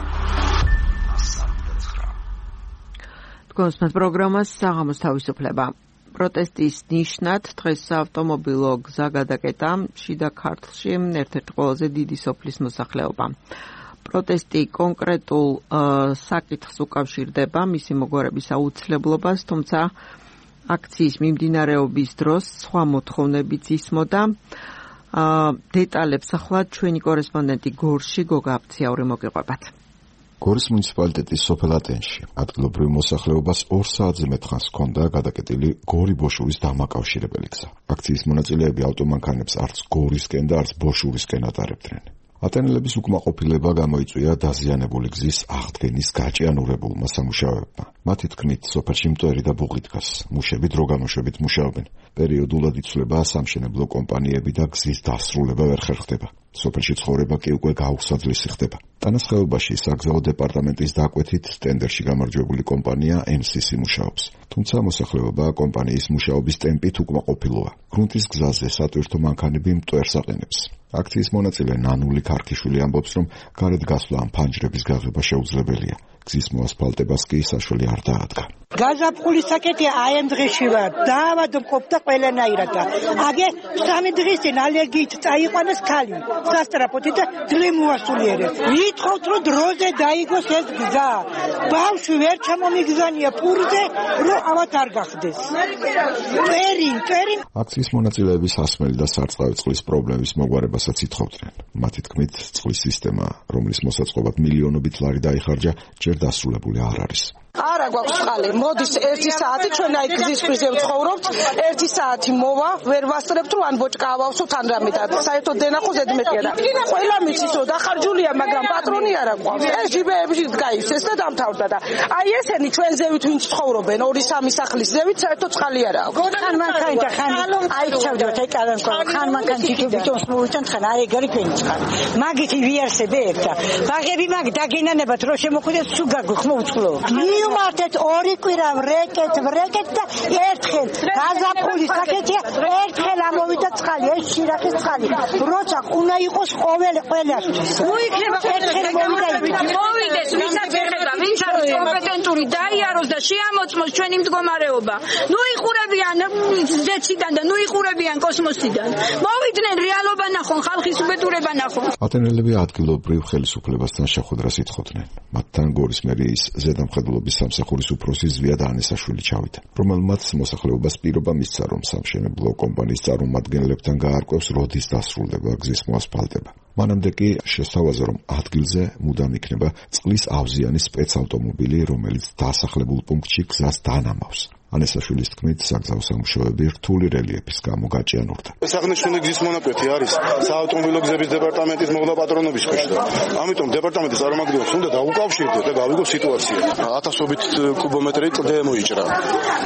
თქვენს პროგრამას საღამოს თავისუფლება. პროტესტის ნიშნად დღეს საავტომობილო გზა გადაკეტა შიდა ქართლში ერთ-ერთი ყველაზე დიდი სოფლის მოსახლეობა. პროტესტი კონკრეტულ საკითხს უკავშირდება მისი მოგვარების აუცილებლობას, თუმცა აქციის მიმდინარეობის დროს სხვა მოთხოვნებიც ისმოდა. დეტალებს ახლა ჩვენი კორესპონდენტი გორში გოგა აფციაური მოგიყვებათ. გორის მუნიციპალიტეტის სოფელ ატენში ადგილობრივ მოსახლეობას 2 საათზე მეტ ხანს ჰქონდა გადაკეტილი გორი-ბოშურის დამაკავშირებელი გზა. აქციის მონაწილეები ავტომანქანებს არც გორისკენ და არც ბოშურისკენ ატარებდნენ. ატენელების უკმაყოფილება გამოიწვია დაზიანებული გზის აღდგენის გაჭიანურებულმა სამუშაოებმა. მათი თქმით, სოფელში მტვერი და ბუღი დგას. მუშები დროგამოშვებით მუშაობენ. პერიოდულად იცვლება სამშენებლო კომპანიები და გზის დასრულება ვერ ხერხდება. სოფელში ცხოვრება კი უკვე გაუსაძლისი ხდება. ტანასხეობაში საგზაო დეპარტამენტის დაკვეთით ტენდერში გამარჯვებული კომპანია MCC მუშაობს. თუმცა მოსახლეობა კომპანიის მუშაობის ტემპით უკმაყოფილოა. გრუნტის გზაზე სატვირთო მანქანები მტვერს აყენებს. აქციის მონაწილე ნანული ქარქიშვილი ამბობს, რომ გარეთ გასვლა ამ ფანჯრების გაღება შეუძლებელია. გზის მოასფალტებას კი საშველი არ დაადგა. გაზაფხულის საკეთი აი ამ დღეში ვარ. დაავადო მყოფდა ყველანაირად. აგე 3 დღის წინ ალერგიით წაიყვანეს ქალი. სასტრაფოთი და ძლე მოასულიერეს. ვითხოვთ რომ დროზე დაიგოს ეს გზა. ბავშვი ვერ ჩამომიგზანია პურზე, რომ ავად არ გახდეს. წერინ. აქციის მონაწილეები სასმელი და სარწყავი წყლის პრობლემის მოგვარებასაც ითხოვდნენ. მათი თქმით, წყლის სისტემა, რომლის მოსაწყობად მილიონობით ლარი დაიხარჯა, ჯერ დასრულებული არ არის. არა გვაქვს წყალი. მოდის 1 საათი ჩვენ აი გზის ქვაზე ვცხოვრობთ. 1 საათი მოვა, ვერ ვასწრებთ რომ ან ბოჭკა ავავსოთ ან რამე და საერთოდ დენახო ზედმეტია და ყველა მიცის რომ დახარჯულია, მაგრამ პატრონი არ აქვს. ეს ჯიბეებში გაივსეს და დამთავრდა და აი ესენი ჩვენ ზევით ვინც ცხოვრობენ 2-3 სახლის ზევით საერთოდ წყალი არ აქვს. ხან მანქანი და ხან აი ჩავდოთ აი კალანკო ხან მანქანი თვითონ მოვიჭან ხან აი ეგარი ფენი წყალი. მაგითი ვიარსებე ერთა. ბაღები მაგ დაგენანებათ რომ შემოხვიდეს სულ გაგხმო უწყლო. მივმართეთ 2 კვირა ვრეკეთ და ერთხელ გაზაფხულის საკეთია ერთხელ ამოვიდა წყალი ეს შირახის წყალი როცა უნდა იყოს ყველასთვის ნუ იქნება ერთხელ მოვიდეს ვისაც ეხება ვინც არის კომპეტენტური დაიაროს და შეამოწმოს ჩვენი მდგომარეობა ნუ იხურებიან ზეციდან და ნუ იხურებიან კოსმოსიდან მოვიდნენ რეალობა ნახონ ხალხის უბედურება ნახონ ატენელები ადგილობრივ ხელისუფლებასთან შეხვედრას ითხოვდნენ მათთან გორის მერიის ზედამხედველობის სამსახურის უფროსი ზვია დანესაშვილი ჩავიდა, რომელმაც მოსახლეობას პირობა მისცა, რომ სამშენებლო კომპანიის წარმომადგენლებთან გაარკვევს, როდის დასრულდება გზის მოასფალტება. მანამდე კი შესთავაზა, რომ ადგილზე მუდამ იქნება წყლის ავზიანი სპეცავტომობილი, რომელიც დასახლებულ პუნქტში გზას დანამავს. ანესაშვილის თქმით, საგზაო სამუშაოები რთული რელიეფის გამო გაჭიანურდა. სახნიშნული გზის მონაკვეთი არის საავტომობილო გზების დეპარტამენტის მოვლა პატრონობის ქვეშ. ამიტომ დეპარტამენტის წარმომადგენლებს უნდა დაუკავშირდეთ და გავიგო სიტუაცია. 1000-ობით კუბომეტრი კლდე მოიჭრა.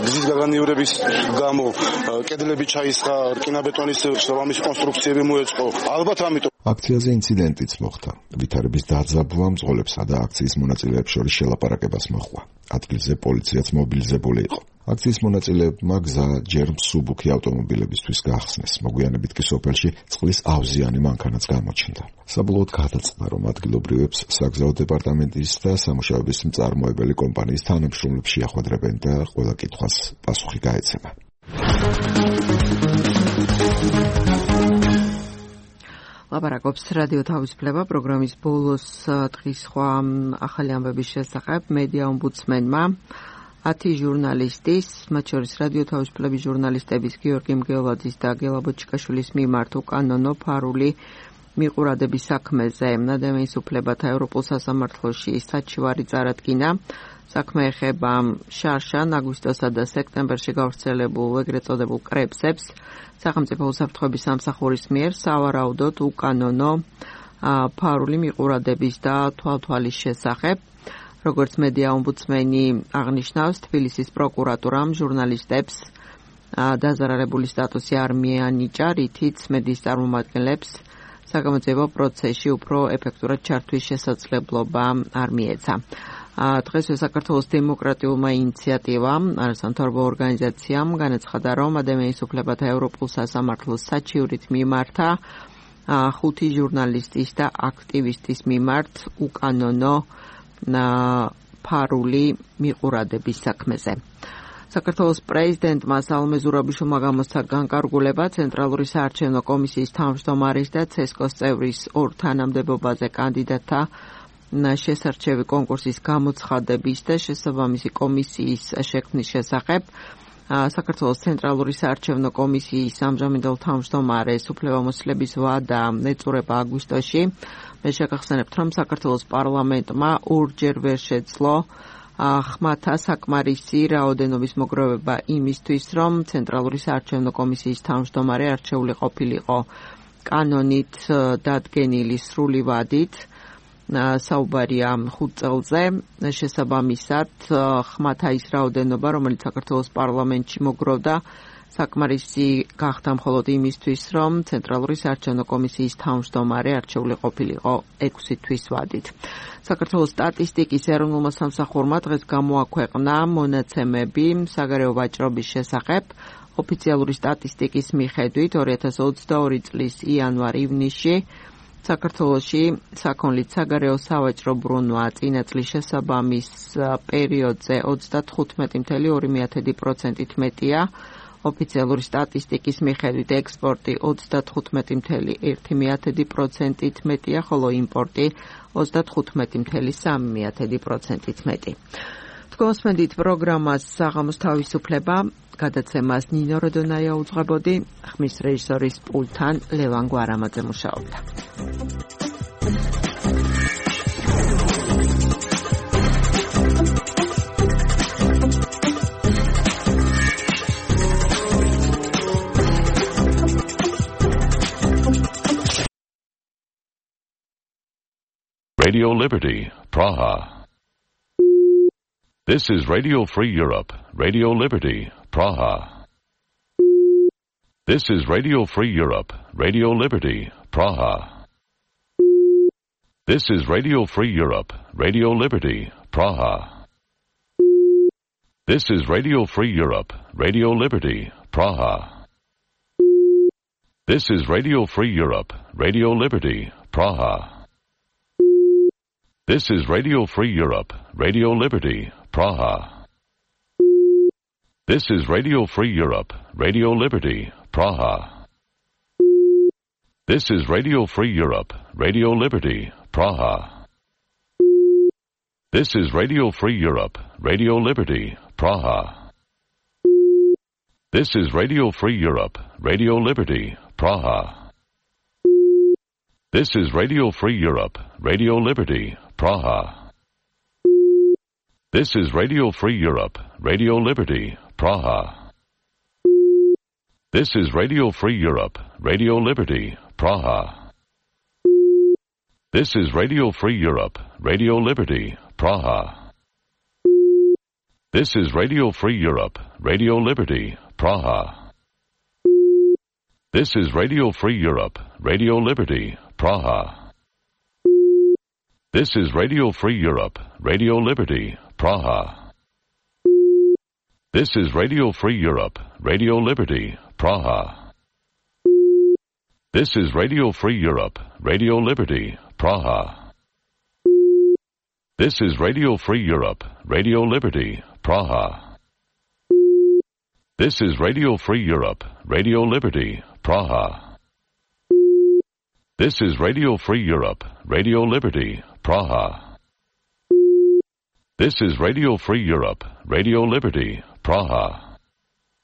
გზის გაგანიურების გამო კედლები ჩაისხა, რკინაბეტონის შესაბამისი კონსტრუქციები მოეწყო. ალბათ ამიტომ აქციაზე ინციდენტიც მოხდა. ვითარების დაძაბვა მძღოლებსა და აქციის მონაწილეებს შორის შელაპარაკებას მოჰყვა. ადგილზე პოლიციაც მობილიზებული იყო. აქციის მონაწილეებმა გზა ჯერ მსუბუქი ავტომობილებისთვის გაახსნეს. მოგვიანებით კი სოფელში წყლის ავზიანი მანქანაც გამოჩნდა. საბოლოოდ გადაწყდა, რომ ადგილობრივებს საგზაო დეპარტამენტის და სამუშაოების მწარმოებელი კომპანიის თანამშრომლებს შეახვედრებენ და ყველა კითხვას პასუხი გაეცემა. ლაპარაკობს რადიო თავისუფლება პროგრამის ბოლოს დღის სხვა ახალი ამბების შესახებ მედია ომბუდსმენმა 10 ჟურნალისტის, მათ შორის რადიო თავისუფლების ჟურნალისტების გიორგი მგელაძის და გელა ბოჭკაშვილის მიმართ უკანონო ფარული მიყურადების საქმეზე ადამიანის უფლებათა ევროპულ სასამართლოში საჩივარი წარადგინა. საქმე ეხება შარშან, აგვისტოსა და სექტემბერში გავრცელებულ ეგრეთ წოდებულ კრებსებს. სახელმწიფო უსაფრთხოების სამსახურის მიერ სავარაუდოდ უკანონო ფარული მიყურადების და თვალთვალის შესახებ. როგორც მედია ომბუდსმენი აღნიშნავს, თბილისის პროკურატურამ ჟურნალისტებს დაზარალებული სტატუსი არ მიანიჭა, რითიც მედიის წარმომადგენლებს საგამოძიებო პროცესში უფრო ეფექტურად ჩართვის შესაძლებლობა არ მიეცა. დღესვე საქართველოს დემოკრატიულმა ინიციატივამ, არასამთავრობო ორგანიზაციამ განაცხადა, რომ ადამიანის უფლებათა ევროპულ სასამართლოს საჩივრით მიმართა 5 ჟურნალისტის და აქტივისტის მიმართ უკანონო ფარული მიყურადების საქმეზე. საქართველოს პრეზიდენტმა სალომე ზურაბიშვილმა გამოსცა განკარგულება ცენტრალური საარჩევნო კომისიის თავმჯდომარის და ცესკოს წევრის ორ თანამდებობაზე კანდიდატთა შესარჩევი კონკურსის გამოცხადების და შესაბამისი კომისიის შექმნის შესახებ. საქართველოს ცენტრალური საარჩევნო კომისიის ამჟამინდელ თავმჯდომარეს უფლებამოსილების ვადა ეწურება აგვისტოში. მე შეგახსენებთ, რომ საქართველოს პარლამენტმა ორჯერ ვერ შეძლო ხმათა საკმარისი რაოდენობის მოგროვება იმისთვის, რომ ცენტრალური საარჩევნო კომისიის თავმჯდომარე არჩეული ყოფილიყო კანონით დადგენილი სრული ვადით. საუბარია 5 წელზე შესაბამისად ხმათა ის რაოდენობა, რომელიც საქართველოს პარლამენტში მოგროვდა, საკმარისი გახდა მხოლოდ იმისთვის, რომ ცენტრალური საარჩევნო კომისიის თავმჯდომარე არჩეული ყოფილიყო 6 თვის ვადით. საქართველოს სტატისტიკის ეროვნულმა სამსახურმა დღეს გამოაქვეყნა მონაცემები საგარეო ვაჭრობის შესახებ. ოფიციალური სტატისტიკის მიხედვით 2022 წლის იანვარ-ივნისში საქართველოში საქონლით საგარეო სავაჭრო ბრუნვა წინა წლის შესაბამის პერიოდზე 35.2%-ით მეტია. ოფიციალური სტატისტიკის მიხედვით ექსპორტი 35.1%-ით მეტია, ხოლო იმპორტი 35.3%-ით მეტი. თქვენსმენდით პროგრამას საღამოს თავისუფლება, გადაცემას ნინო როდონაია უძღვებოდი, ხმის რეჟისორის პულტთან ლევან გვარამაძე მუშაობდა. Radio Liberty, Praha. This is Radio Free Europe, Radio Liberty, Praha. This is Radio Free Europe, Radio Liberty, Praha. This is Radio Free Europe, Radio Liberty, Praha. This is Radio Free Europe, Radio Liberty, Praha. This is Radio Free Europe, Radio Liberty, Praha. This is Radio Free Europe, Radio Liberty, Praha. This is Radio Free Europe, Radio Liberty, Praha. This is Radio Free Europe, Radio Liberty, Praha. This is Radio Free Europe, Radio Liberty, Praha. This is Radio Free Europe, Radio Liberty, Praha. This is Radio Free Europe, Radio Liberty, Praha. This is Radio Free Europe, Radio Liberty, Praha. This is Radio Free Europe, Radio Liberty, Praha. This is Radio Free Europe, Radio Liberty, Praha. This is Radio Free Europe, Radio Liberty, Praha. This is Radio Free Europe, Radio Liberty, Praha. This is Radio Free Europe, Radio Liberty, Praha. This is Radio Free Europe, Radio Liberty, Praha. This is Radio Free Europe, Radio Liberty, Praha. This is Radio Free Europe, Radio Liberty, Praha. This is Radio Free Europe, Radio Liberty, Praha. This is Radio Free Europe, Radio Liberty, Praha. This is Radio Free Europe, Radio Liberty, Praha.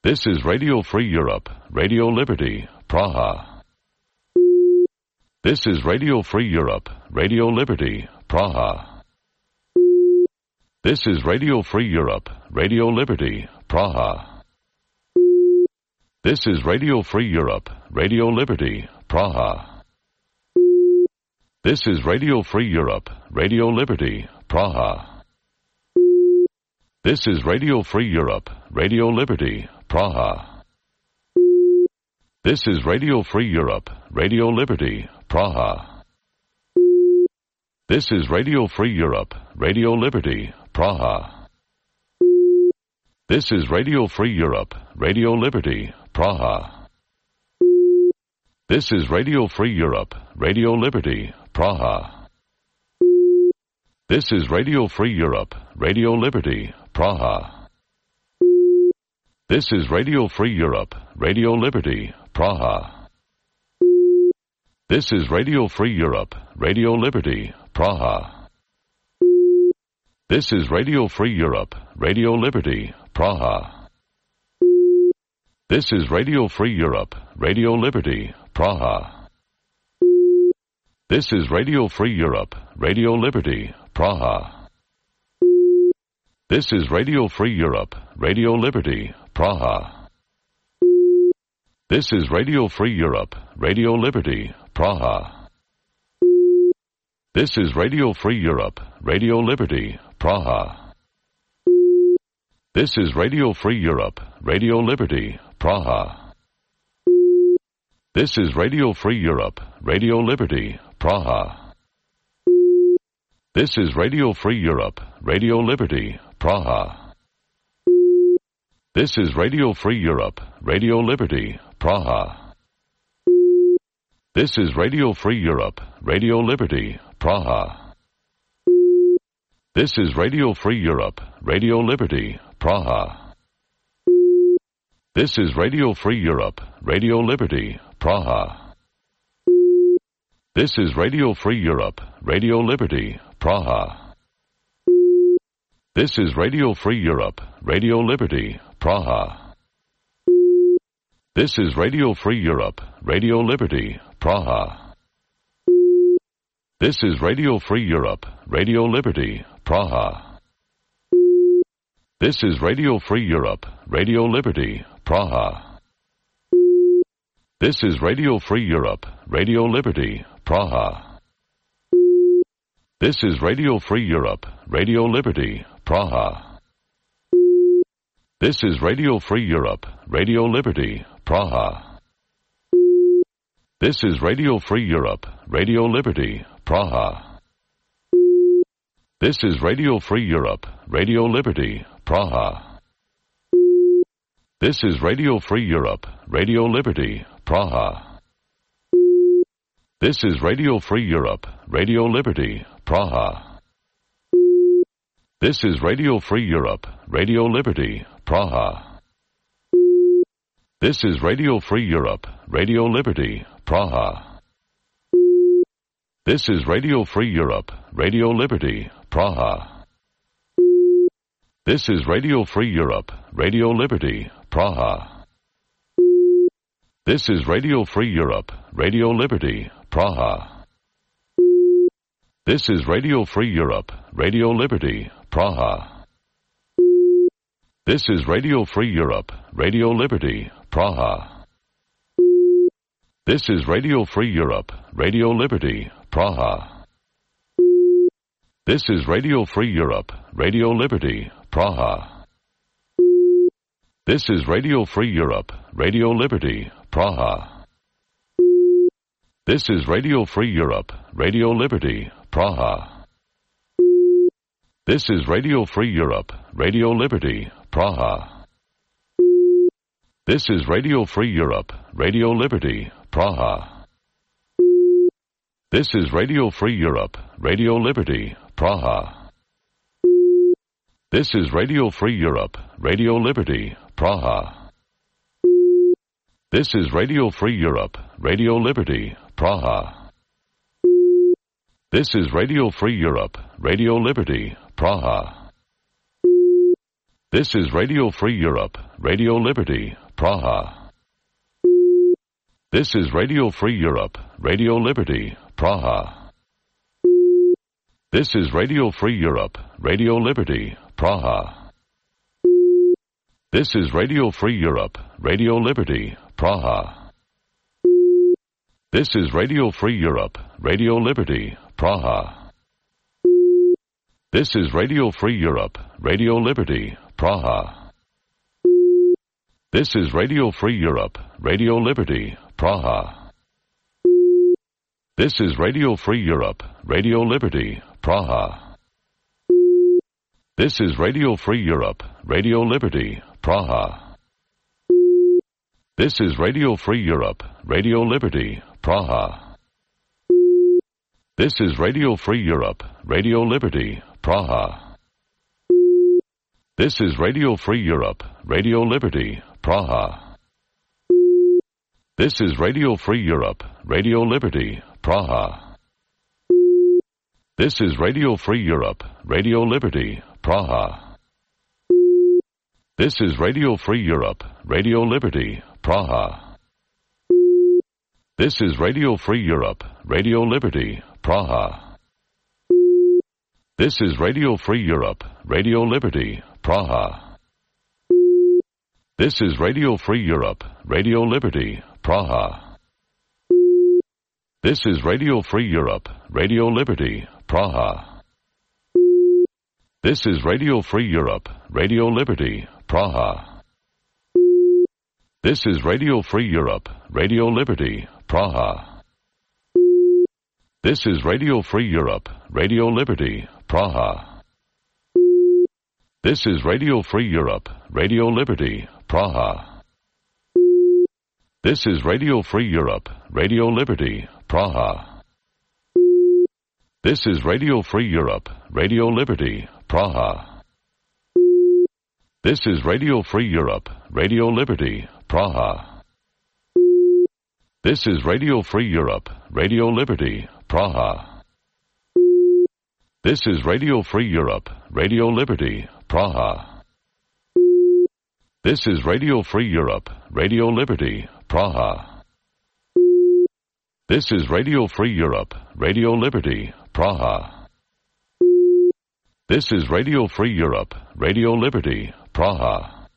This is Radio Free Europe, Radio Liberty, Praha. This is Radio Free Europe, Radio Liberty, Praha. This is Radio Free Europe, Radio Liberty, Praha. This is Radio Free Europe, Radio Liberty, Praha. This is Radio Free Europe, Radio Liberty, Praha. This is Radio Free Europe, Radio Liberty, Praha. This is Radio Free Europe, Radio Liberty, Praha. This is Radio Free Europe, Radio Liberty, Praha. This is Radio Free Europe, Radio Liberty, Praha. This is Radio Free Europe, Radio Liberty, Praha. This is Radio Free Europe, Radio Liberty, Praha. This is Radio Free Europe, Radio Liberty, Praha. This is Radio Free Europe, Radio Liberty, Praha. This is Radio Free Europe, Radio Liberty, Praha. This is Radio Free Europe, Radio Liberty, Praha. This is Radio Free Europe, Radio Liberty, Praha. This is Radio Free Europe, Radio Liberty, Praha. This is Radio Free Europe, Radio Liberty, Praha. This is Radio Free Europe, Radio Liberty, Praha. This is Radio Free Europe, Radio Liberty, Praha. This is Radio Free Europe, Radio Liberty, Praha. This is Radio Free Europe, Radio Liberty, Praha. This is Radio Free Europe, Radio Liberty, Praha. This is Radio Free Europe, Radio Liberty, Praha. This is Radio Free Europe, Radio Liberty, Praha. This is Radio Free Europe, Radio Liberty, Praha. This is Radio Free Europe, Radio Liberty, Praha. This is Radio Free Europe, Radio Liberty, Praha. This is Radio Free Europe, Radio Liberty, Praha. This is Radio Free Europe, Radio Liberty, Praha. This is Radio Free Europe, Radio Liberty, Praha. This is Radio Free Europe, Radio Liberty, Praha. This is Radio Free Europe, Radio Liberty, Praha. This is Radio Free Europe, Radio Liberty, Praha. This is Radio Free Europe, Radio Liberty, Praha. This is Radio Free Europe, Radio Liberty, Praha. This is Radio Free Europe, Radio Liberty, Praha. This is Radio Free Europe, Radio Liberty, Praha. This is Radio Free Europe, Radio Liberty, Praha. This is Radio Free Europe, Radio Liberty, Praha. This is Radio Free Europe, Radio Liberty, Praha. This is Radio Free Europe, Radio Liberty, Praha. This is Radio Free Europe, Radio Liberty, Praha. This is Radio Free Europe, Radio Liberty, Praha. This is Radio Free Europe, Radio Liberty, Praha. This is Radio Free Europe, Radio Liberty, Praha. This is Radio Free Europe, Radio Liberty, Praha. This is Radio Free Europe, Radio Liberty, Praha. This is Radio Free Europe, Radio Liberty, Praha. This is Radio Free Europe, Radio Liberty, Praha. This is Radio Free Europe, Radio Liberty, Praha. This is Radio Free Europe, Radio Liberty, Praha. This is Radio Free Europe, Radio Liberty, Praha. This is Radio Free Europe, Radio Liberty, Praha. This is Radio Free Europe, Radio Liberty, Praha. This is Radio Free Europe, Radio Liberty, Praha. This is Radio Free Europe, Radio Liberty, Praha. This is Radio Free Europe, Radio Liberty, Praha. This is Radio Free Europe, Radio Liberty, Praha. This is Radio Free Europe, Radio Liberty, Praha. This is Radio Free Europe, Radio Liberty, Praha. This is Radio Free Europe, Radio Liberty, Praha. This is Radio Free Europe, Radio Liberty, Praha. This is Radio Free Europe, Radio Liberty, Praha. This is Radio Free Europe, Radio Liberty, Praha. This is Radio Free Europe, Radio Liberty, Praha. This is Radio Free Europe, Radio Liberty, Praha. This is Radio Free Europe, Radio Liberty, Praha. This is Radio Free Europe, Radio Liberty, Praha. This is Radio Free Europe, Radio Liberty, Praha. This is Radio Free Europe, Radio Liberty, Praha. This is Radio Free Europe, Radio Liberty, Praha. This is Radio Free Europe, Radio Liberty, Praha. This is Radio Free Europe, Radio Liberty, Praha. This is Radio Free Europe, Radio Liberty, Praha. This is Radio Free Europe, Radio Liberty, Praha. This is Radio Free Europe, Radio Liberty, Praha. This is Radio Free Europe, Radio Liberty, Praha. This is Radio Free Europe, Radio Liberty, Praha. This is Radio Free Europe, Radio Liberty, Praha. This is Radio Free Europe, Radio Liberty, Praha. This is Radio Free Europe, Radio Liberty, Praha. This is Radio Free Europe, Radio Liberty, Praha. This is Radio Free Europe, Radio Liberty, Praha. This is Radio Free Europe, Radio Liberty, Praha. This is Radio Free Europe, Radio Liberty, Praha.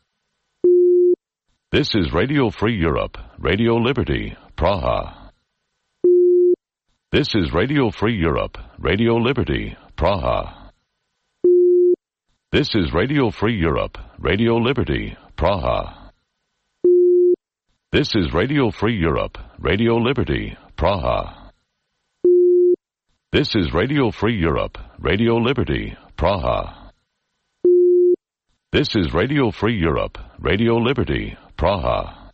This is Radio Free Europe, Radio Liberty, Praha. This is Radio Free Europe, Radio Liberty, Praha. This is Radio Free Europe, Radio Liberty, Praha. This is Radio Free Europe, Radio Liberty, Praha. This is Radio Free Europe, Radio Liberty, Praha. This is Radio Free Europe, Radio Liberty, Praha.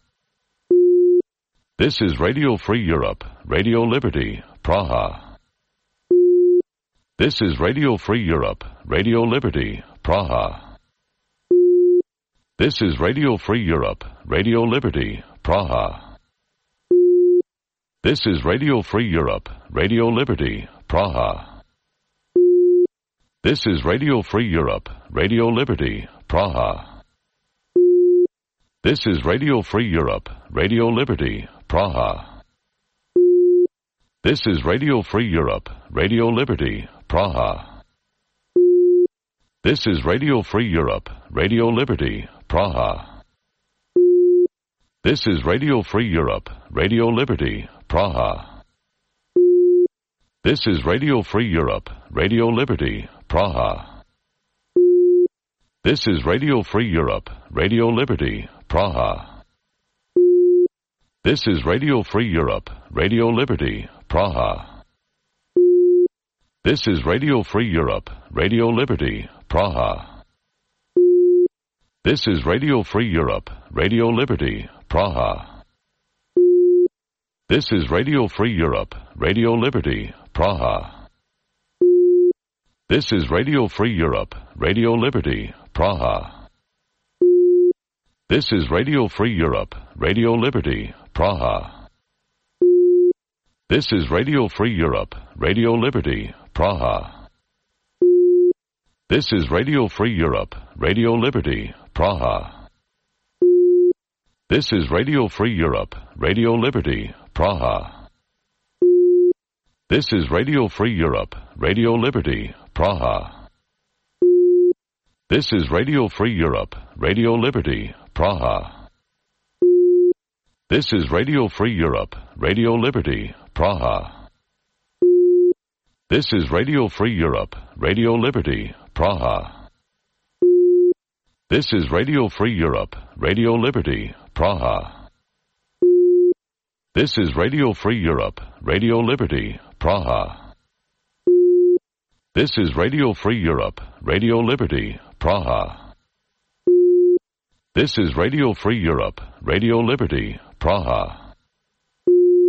This is Radio Free Europe, Radio Liberty, Praha. This is Radio Free Europe, Radio Liberty, Praha. This is Radio Free Europe, Radio Liberty, Praha. This is Radio Free Europe, Radio Liberty, Praha. This is Radio Free Europe, Radio Liberty, Praha. This is Radio Free Europe, Radio Liberty, Praha. This is Radio Free Europe, Radio Liberty, Praha. This is Radio Free Europe, Radio Liberty, Praha. This is Radio Free Europe, Radio Liberty, Praha. This is Radio Free Europe, Radio Liberty, Praha. This is Radio Free Europe, Radio Liberty, Praha. This is Radio Free Europe, Radio Liberty, Praha. This is Radio Free Europe, Radio Liberty, Praha. This is Radio Free Europe, Radio Liberty, Praha. This is Radio Free Europe, Radio Liberty, Praha. This is Radio Free Europe, Radio Liberty, Praha. This is Radio Free Europe, Radio Liberty, Praha. This is Radio Free Europe, Radio Liberty, Praha. This is Radio Free Europe, Radio Liberty, Praha. This is Radio Free Europe, Radio Liberty, Praha. This is Radio Free Europe, Radio Liberty, Praha. This is Radio Free Europe, Radio Liberty, Praha. This is Radio Free Europe, Radio Liberty, Praha. This is Radio Free Europe, Radio Liberty, Praha. This is Radio Free Europe, Radio Liberty, Praha. This is Radio Free Europe, Radio Liberty, Praha. This is Radio Free Europe, Radio Liberty, Praha. This is Radio Free Europe, Radio Liberty, Praha.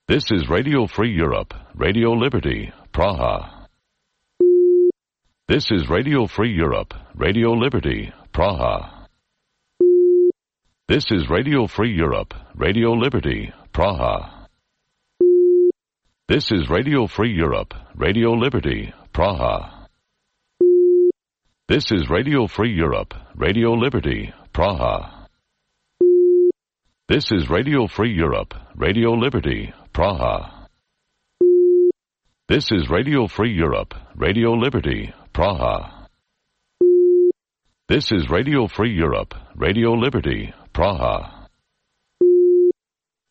This is Radio Free Europe, Radio Liberty, Praha. This is Radio Free Europe, Radio Liberty, Praha. This is Radio Free Europe, Radio Liberty, Praha. This is Radio Free Europe, Radio Liberty, Praha. This is Radio Free Europe, Radio Liberty, Praha. This is Radio Free Europe, Radio Liberty, Praha. This is Radio Free Europe, Radio Liberty, Praha. This is Radio Free Europe, Radio Liberty, Praha.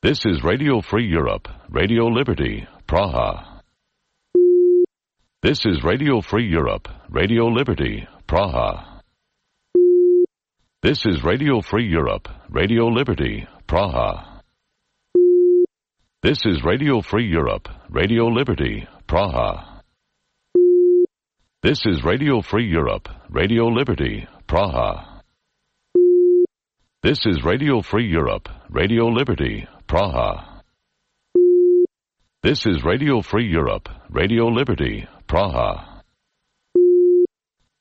This is Radio Free Europe, Radio Liberty, Praha. This is Radio Free Europe, Radio Liberty, Praha. This is Radio Free Europe, Radio Liberty, Praha. This is Radio Free Europe, Radio Liberty, Praha. This is Radio Free Europe, Radio Liberty, Praha. This is Radio Free Europe, Radio Liberty, Praha. This is Radio Free Europe, Radio Liberty, Praha.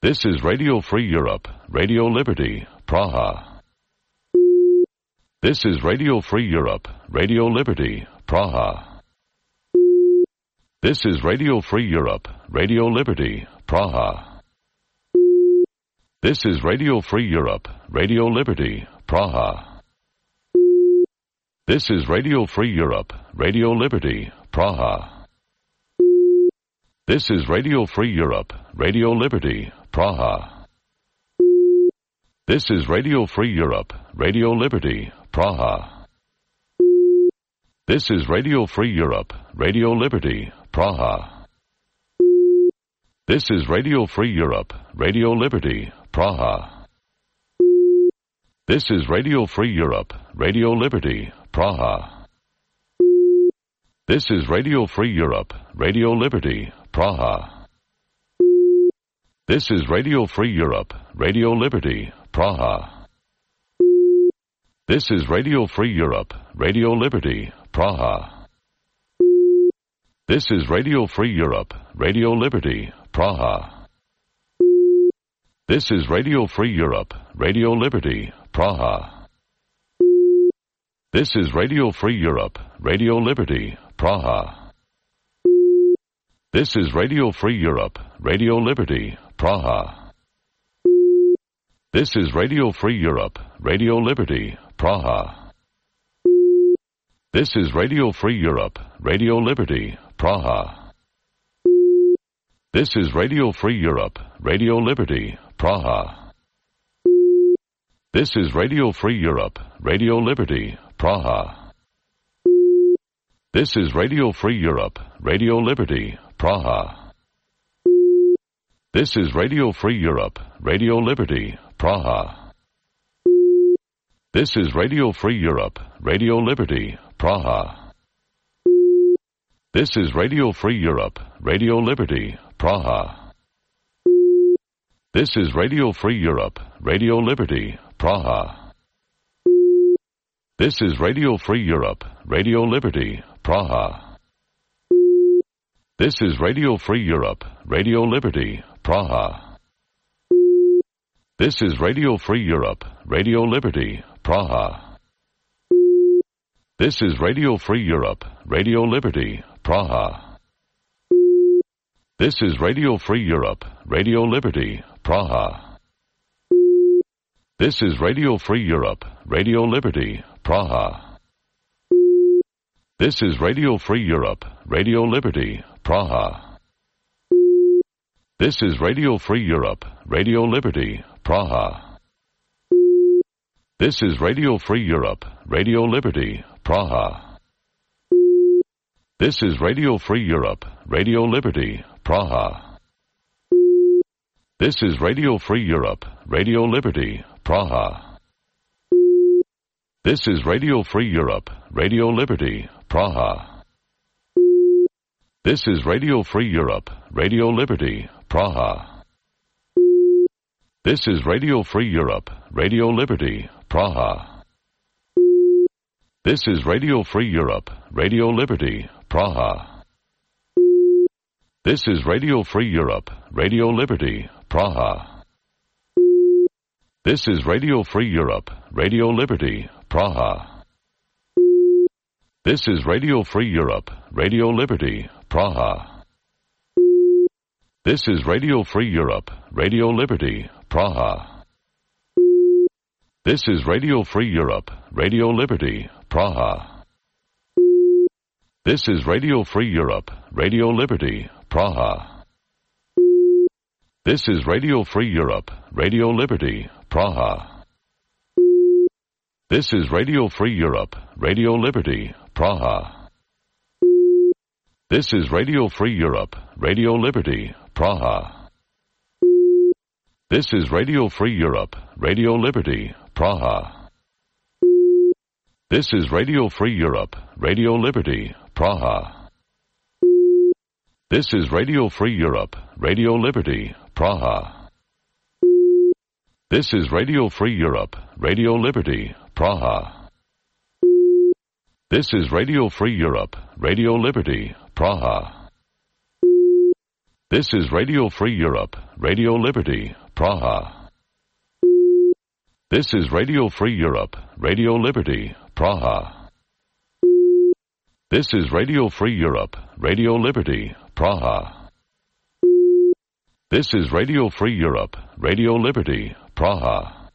This is Radio Free Europe, Radio Liberty, Praha. This is Radio Free Europe, Radio Liberty, Praha. This is Radio Free Europe, Radio Liberty, Praha. This is Radio Free Europe, Radio Liberty, Praha. This is Radio Free Europe, Radio Liberty, Praha. This is Radio Free Europe, Radio Liberty, Praha. This is Radio Free Europe, Radio Liberty, Praha. This is Radio Free Europe, Radio Liberty, Praha. This is Radio Free Europe, Radio Liberty, Praha. This is Radio Free Europe, Radio Liberty, Praha. This is Radio Free Europe, Radio Liberty, Praha. This is Radio Free Europe, Radio Liberty, Praha. This is Radio Free Europe, Radio Liberty, Praha. This is Radio Free Europe, Radio Liberty, Praha. This is Radio Free Europe, Radio Liberty, Praha. This is Radio Free Europe, Radio Liberty, Praha. This is Radio Free Europe, Radio Liberty, Praha. This is Radio Free Europe, Radio Liberty, Praha. This is Radio Free Europe, Radio Liberty, Praha. This is Radio Free Europe, Radio Liberty, Praha. This is Radio Free Europe, Radio Liberty, Praha. This is Radio Free Europe, Radio Liberty, Praha. This is Radio Free Europe, Radio Liberty, Praha. This is Radio Free Europe, Radio Liberty, Praha. This is Radio Free Europe, Radio Liberty, Praha. This is Radio Free Europe, Radio Liberty, Praha. This is Radio Free Europe, Radio Liberty, Praha. This is Radio Free Europe, Radio Liberty, Praha. This is Radio Free Europe, Radio Liberty, Praha. This is Radio Free Europe, Radio Liberty, Praha. This is Radio Free Europe, Radio Liberty, Praha. This is Radio Free Europe, Radio Liberty, Praha. This is Radio Free Europe, Radio Liberty, Praha. This is Radio Free Europe, Radio Liberty, Praha. This is Radio Free Europe, Radio Liberty, Praha. This is Radio Free Europe, Radio Liberty, Praha. This is Radio Free Europe, Radio Liberty, Praha. This is Radio Free Europe, Radio Liberty, Praha. This is Radio Free Europe, Radio Liberty, Praha. This is Radio Free Europe, Radio Liberty, Praha. This is Radio Free Europe, Radio Liberty, Praha. This is Radio Free Europe, Radio Liberty, Praha. This is Radio Free Europe, Radio Liberty, Praha. This is Radio Free Europe, Radio Liberty, Praha. This is Radio Free Europe, Radio Liberty, Praha. This is Radio Free Europe, Radio Liberty, Praha. This is Radio Free Europe, Radio Liberty, Praha. This is Radio Free Europe, Radio Liberty, Praha. This is Radio Free Europe, Radio Liberty, Praha. This is Radio Free Europe, Radio Liberty, Praha. This is Radio Free Europe, Radio Liberty, Praha. This is Radio Free Europe, Radio Liberty, Praha. This is Radio Free Europe, Radio Liberty, Praha. This is Radio Free Europe, Radio Liberty, Praha. This is Radio Free Europe, Radio Liberty, Praha. This is Radio Free Europe, Radio Liberty, Praha. This is Radio Free Europe, Radio Liberty, Praha. This is Radio Free Europe, Radio Liberty, Praha. This is Radio Free Europe, Radio Liberty, Praha.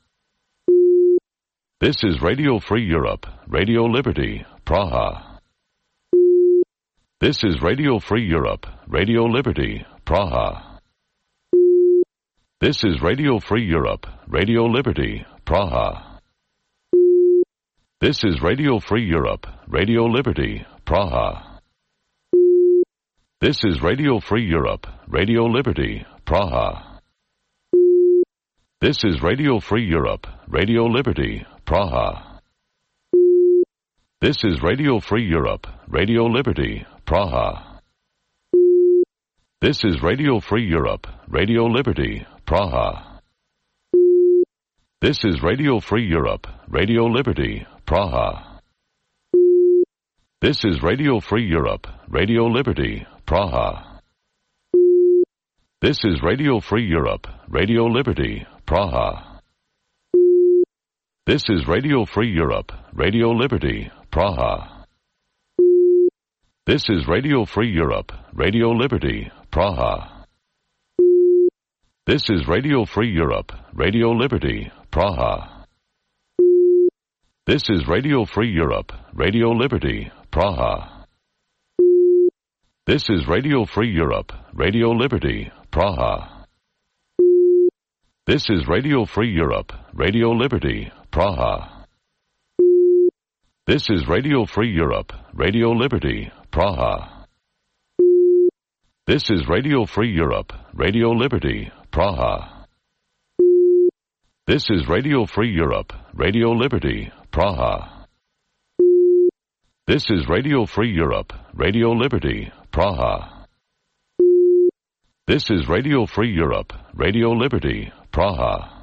This is Radio Free Europe, Radio Liberty, Praha. This is Radio Free Europe, Radio Liberty, Praha. This is Radio Free Europe, Radio Liberty, Praha. This is Radio Free Europe, Radio Liberty, Praha. This is Radio Free Europe, Radio Liberty, Praha. This is Radio Free Europe, Radio Liberty, Praha. This is Radio Free Europe, Radio Liberty, Praha. This is Radio Free Europe, Radio Liberty, Praha. This is Radio Free Europe, Radio Liberty, Praha. This is Radio Free Europe, Radio Liberty, Praha. This is Radio Free Europe, Radio Liberty, Praha. This is Radio Free Europe, Radio Liberty, Praha. This is Radio Free Europe, Radio Liberty, Praha. This is Radio Free Europe, Radio Liberty, Praha. This is Radio Free Europe, Radio Liberty, Praha. This is Radio Free Europe, Radio Liberty, Praha. This is Radio Free Europe, Radio Liberty, Praha. This is Radio Free Europe, Radio Liberty, Praha. This is Radio Free Europe, Radio Liberty, Praha. This is Radio Free Europe, Radio Liberty, Praha. This is Radio Free Europe, Radio Liberty, Praha. This is Radio Free Europe, Radio Liberty, Praha.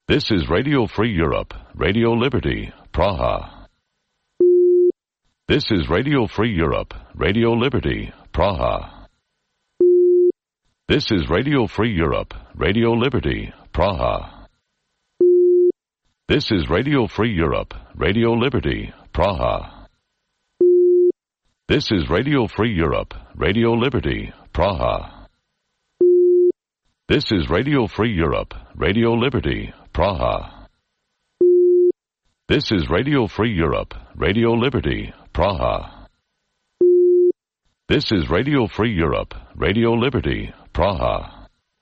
This is Radio Free Europe, Radio Liberty, Praha. This is Radio Free Europe, Radio Liberty, Praha. This is Radio Free Europe, Radio Liberty, Praha. This is Radio Free Europe, Radio Liberty, Praha. This is Radio Free Europe, Radio Liberty, Praha. This is Radio Free Europe, Radio Liberty, Praha. This is Radio Free Europe, Radio Liberty, Praha. This is Radio Free Europe, Radio Liberty, Praha.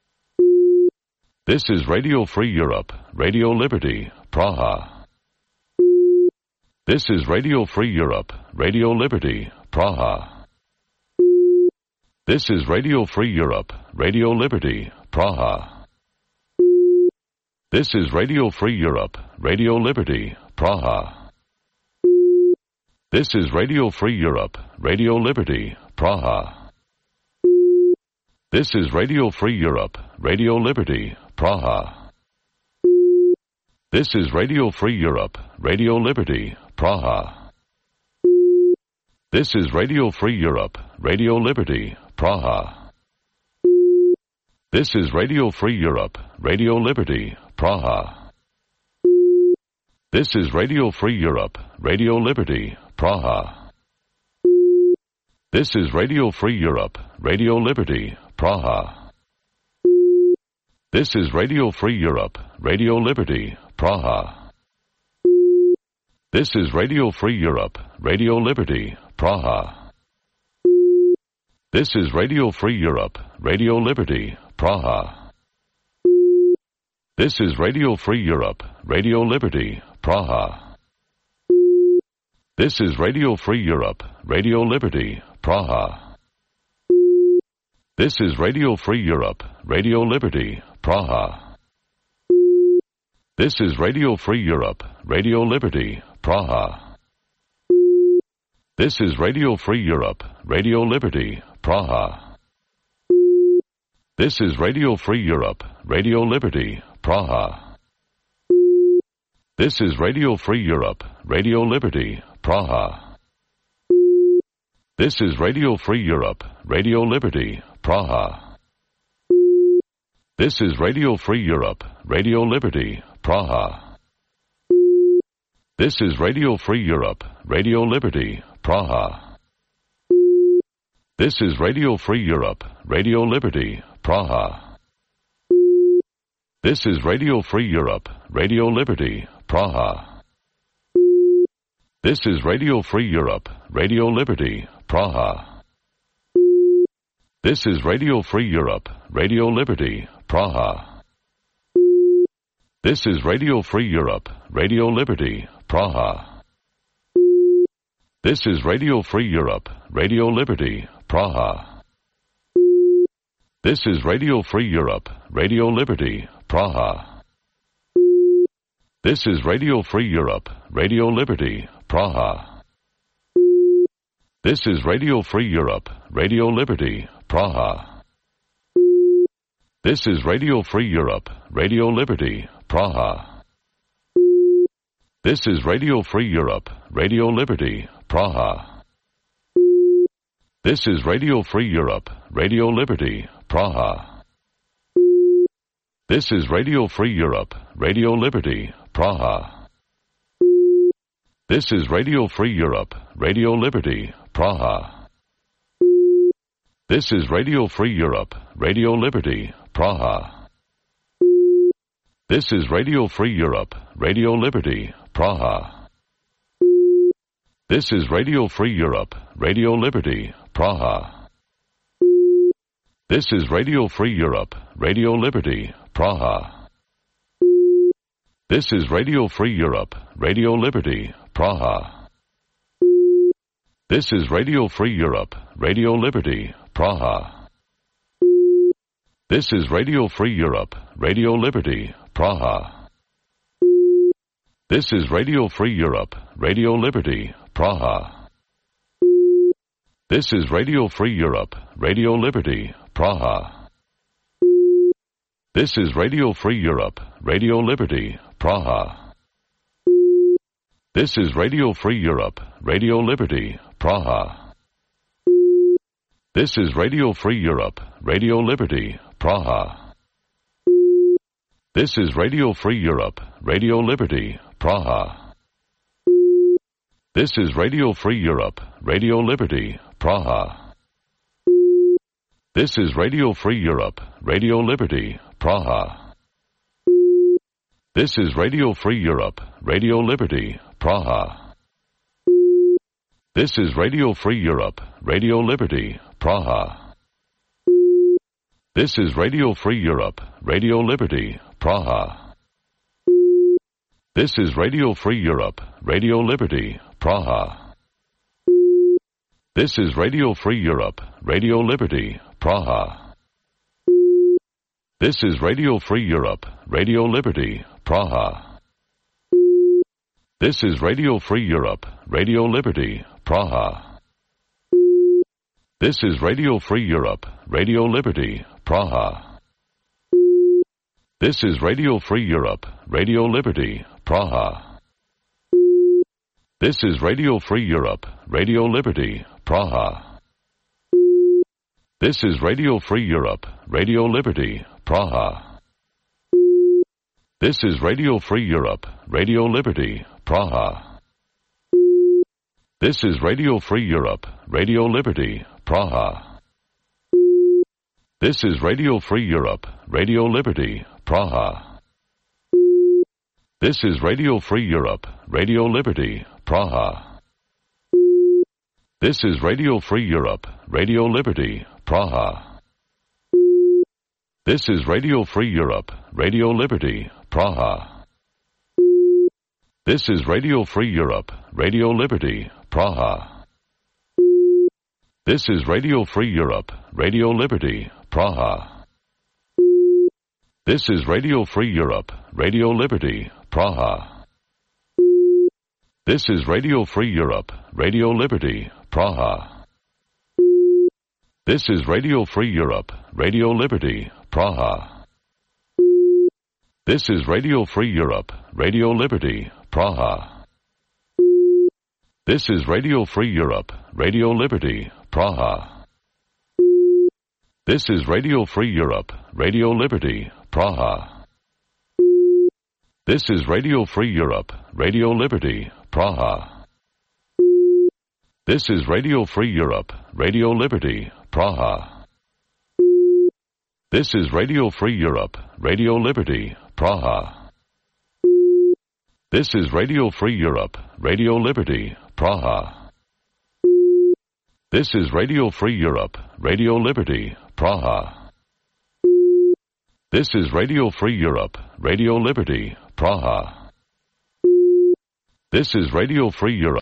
This is Radio Free Europe, Radio Liberty, Praha. This is Radio Free Europe, Radio Liberty, Praha. This is Radio Free Europe, Radio Liberty, Praha. This is Radio Free Europe, Radio Liberty, Praha. This is Radio Free Europe, Radio Liberty, Praha. This is Radio Free Europe, Radio Liberty, Praha. This is Radio Free Europe, Radio Liberty, Praha. This is Radio Free Europe, Radio Liberty, Praha. This is Radio Free Europe, Radio Liberty, Praha. This is Radio Free Europe, Radio Liberty, Praha. This is Radio Free Europe, Radio Liberty, Praha. This is Radio Free Europe, Radio Liberty, Praha. This is Radio Free Europe, Radio Liberty, Praha. This is Radio Free Europe, Radio Liberty, Praha. This is Radio Free Europe, Radio Liberty, Praha. This is Radio Free Europe, Radio Liberty, Praha. This is Radio Free Europe, Radio Liberty, Praha. This is Radio Free Europe, Radio Liberty, Praha. This is Radio Free Europe, Radio Liberty, Praha. This is Radio Free Europe, Radio Liberty, Praha. This is Radio Free Europe, Radio Liberty, Praha. This is Radio Free Europe, Radio Liberty, Praha. This is Radio Free Europe, Radio Liberty, Praha. This is Radio Free Europe, Radio Liberty, Praha. This is Radio Free Europe, Radio Liberty, Praha. This is Radio Free Europe, Radio Liberty, Praha. This is Radio Free Europe, Radio Liberty, Praha. This is Radio Free Europe, Radio Liberty, Praha. This is Radio Free Europe, Radio Liberty, Praha. This is Radio Free Europe, Radio Liberty, Praha. This is Radio Free Europe, Radio Liberty, Praha. This is Radio Free Europe, Radio Liberty, Praha. This is Radio Free Europe, Radio Liberty, Praha. This is Radio Free Europe, Radio Liberty, Praha. This is Radio Free Europe, Radio Liberty, Praha. This is Radio Free Europe, Radio Liberty, Praha. This is Radio Free Europe, Radio Liberty, Praha. This is Radio Free Europe, Radio Liberty, Praha. This is Radio Free Europe, Radio Liberty, Praha. This is Radio Free Europe, Radio Liberty, Praha. This is Radio Free Europe, Radio Liberty, Praha. This is Radio Free Europe, Radio Liberty, Praha. This is Radio Free Europe, Radio Liberty, Praha. This is Radio Free Europe, Radio Liberty, Praha. This is Radio Free Europe, Radio Liberty, Praha. This is Radio Free Europe, Radio Liberty, Praha. This is Radio Free Europe, Radio Liberty, Praha. This is Radio Free Europe, Radio Liberty, Praha. This is Radio Free Europe, Radio Liberty, Praha. This is Radio Free Europe, Radio Liberty, Praha. This is Radio Free Europe, Radio Liberty, Praha. This is Radio Free Europe, Radio Liberty, Praha. This is Radio Free Europe, Radio Liberty, Praha. This is Radio Free Europe, Radio Liberty, Praha. This is Radio Free Europe, Radio Liberty, Praha. This is Radio Free Europe, Radio Liberty, Praha. This is Radio Free Europe, Radio Liberty, Praha. This is Radio Free Europe, Radio Liberty, Praha. This is Radio Free Europe, Radio Liberty, Praha. This is Radio Free Europe, Radio Liberty, Praha. This is Radio Free Europe, Radio Liberty, Praha. This is Radio Free Europe, Radio Liberty, Praha. This is Radio Free Europe, Radio Liberty, Praha. This is Radio Free Europe, Radio Liberty, Praha. This is Radio Free Europe, Radio Liberty, Praha. This is Radio Free Europe, Radio Liberty, Praha. This is Radio Free Europe, Radio Liberty, Praha. This is Radio Free Europe, Radio Liberty, Praha. This is Radio Free Europe, Radio Liberty, Praha. This is Radio Free Europe, Radio Liberty, Praha. This is Radio Free Europe, Radio Liberty, Praha. This is Radio Free Europe, Radio Liberty, Praha. This is Radio Free Europe, Radio Liberty, Praha. This is Radio Free Europe, Radio Liberty, Praha. This is Radio Free Europe, Radio Liberty, Praha. This is Radio Free Europe, Radio Liberty, Praha. This is Radio Free Europe, Radio Liberty, Praha. This is Radio Free Europe, Radio Liberty, Praha. This is Radio Free Europe, Radio Liberty, Praha. This is Radio Free Europe, Radio Liberty, Praha. This is Radio Free Europe, Radio Liberty, Praha. This is Radio Free Europe, Radio Liberty, Praha. This is Radio Free Europe, Radio Liberty, Praha. This is Radio Free Europe, Radio Liberty, Praha. This is Radio Free Europe,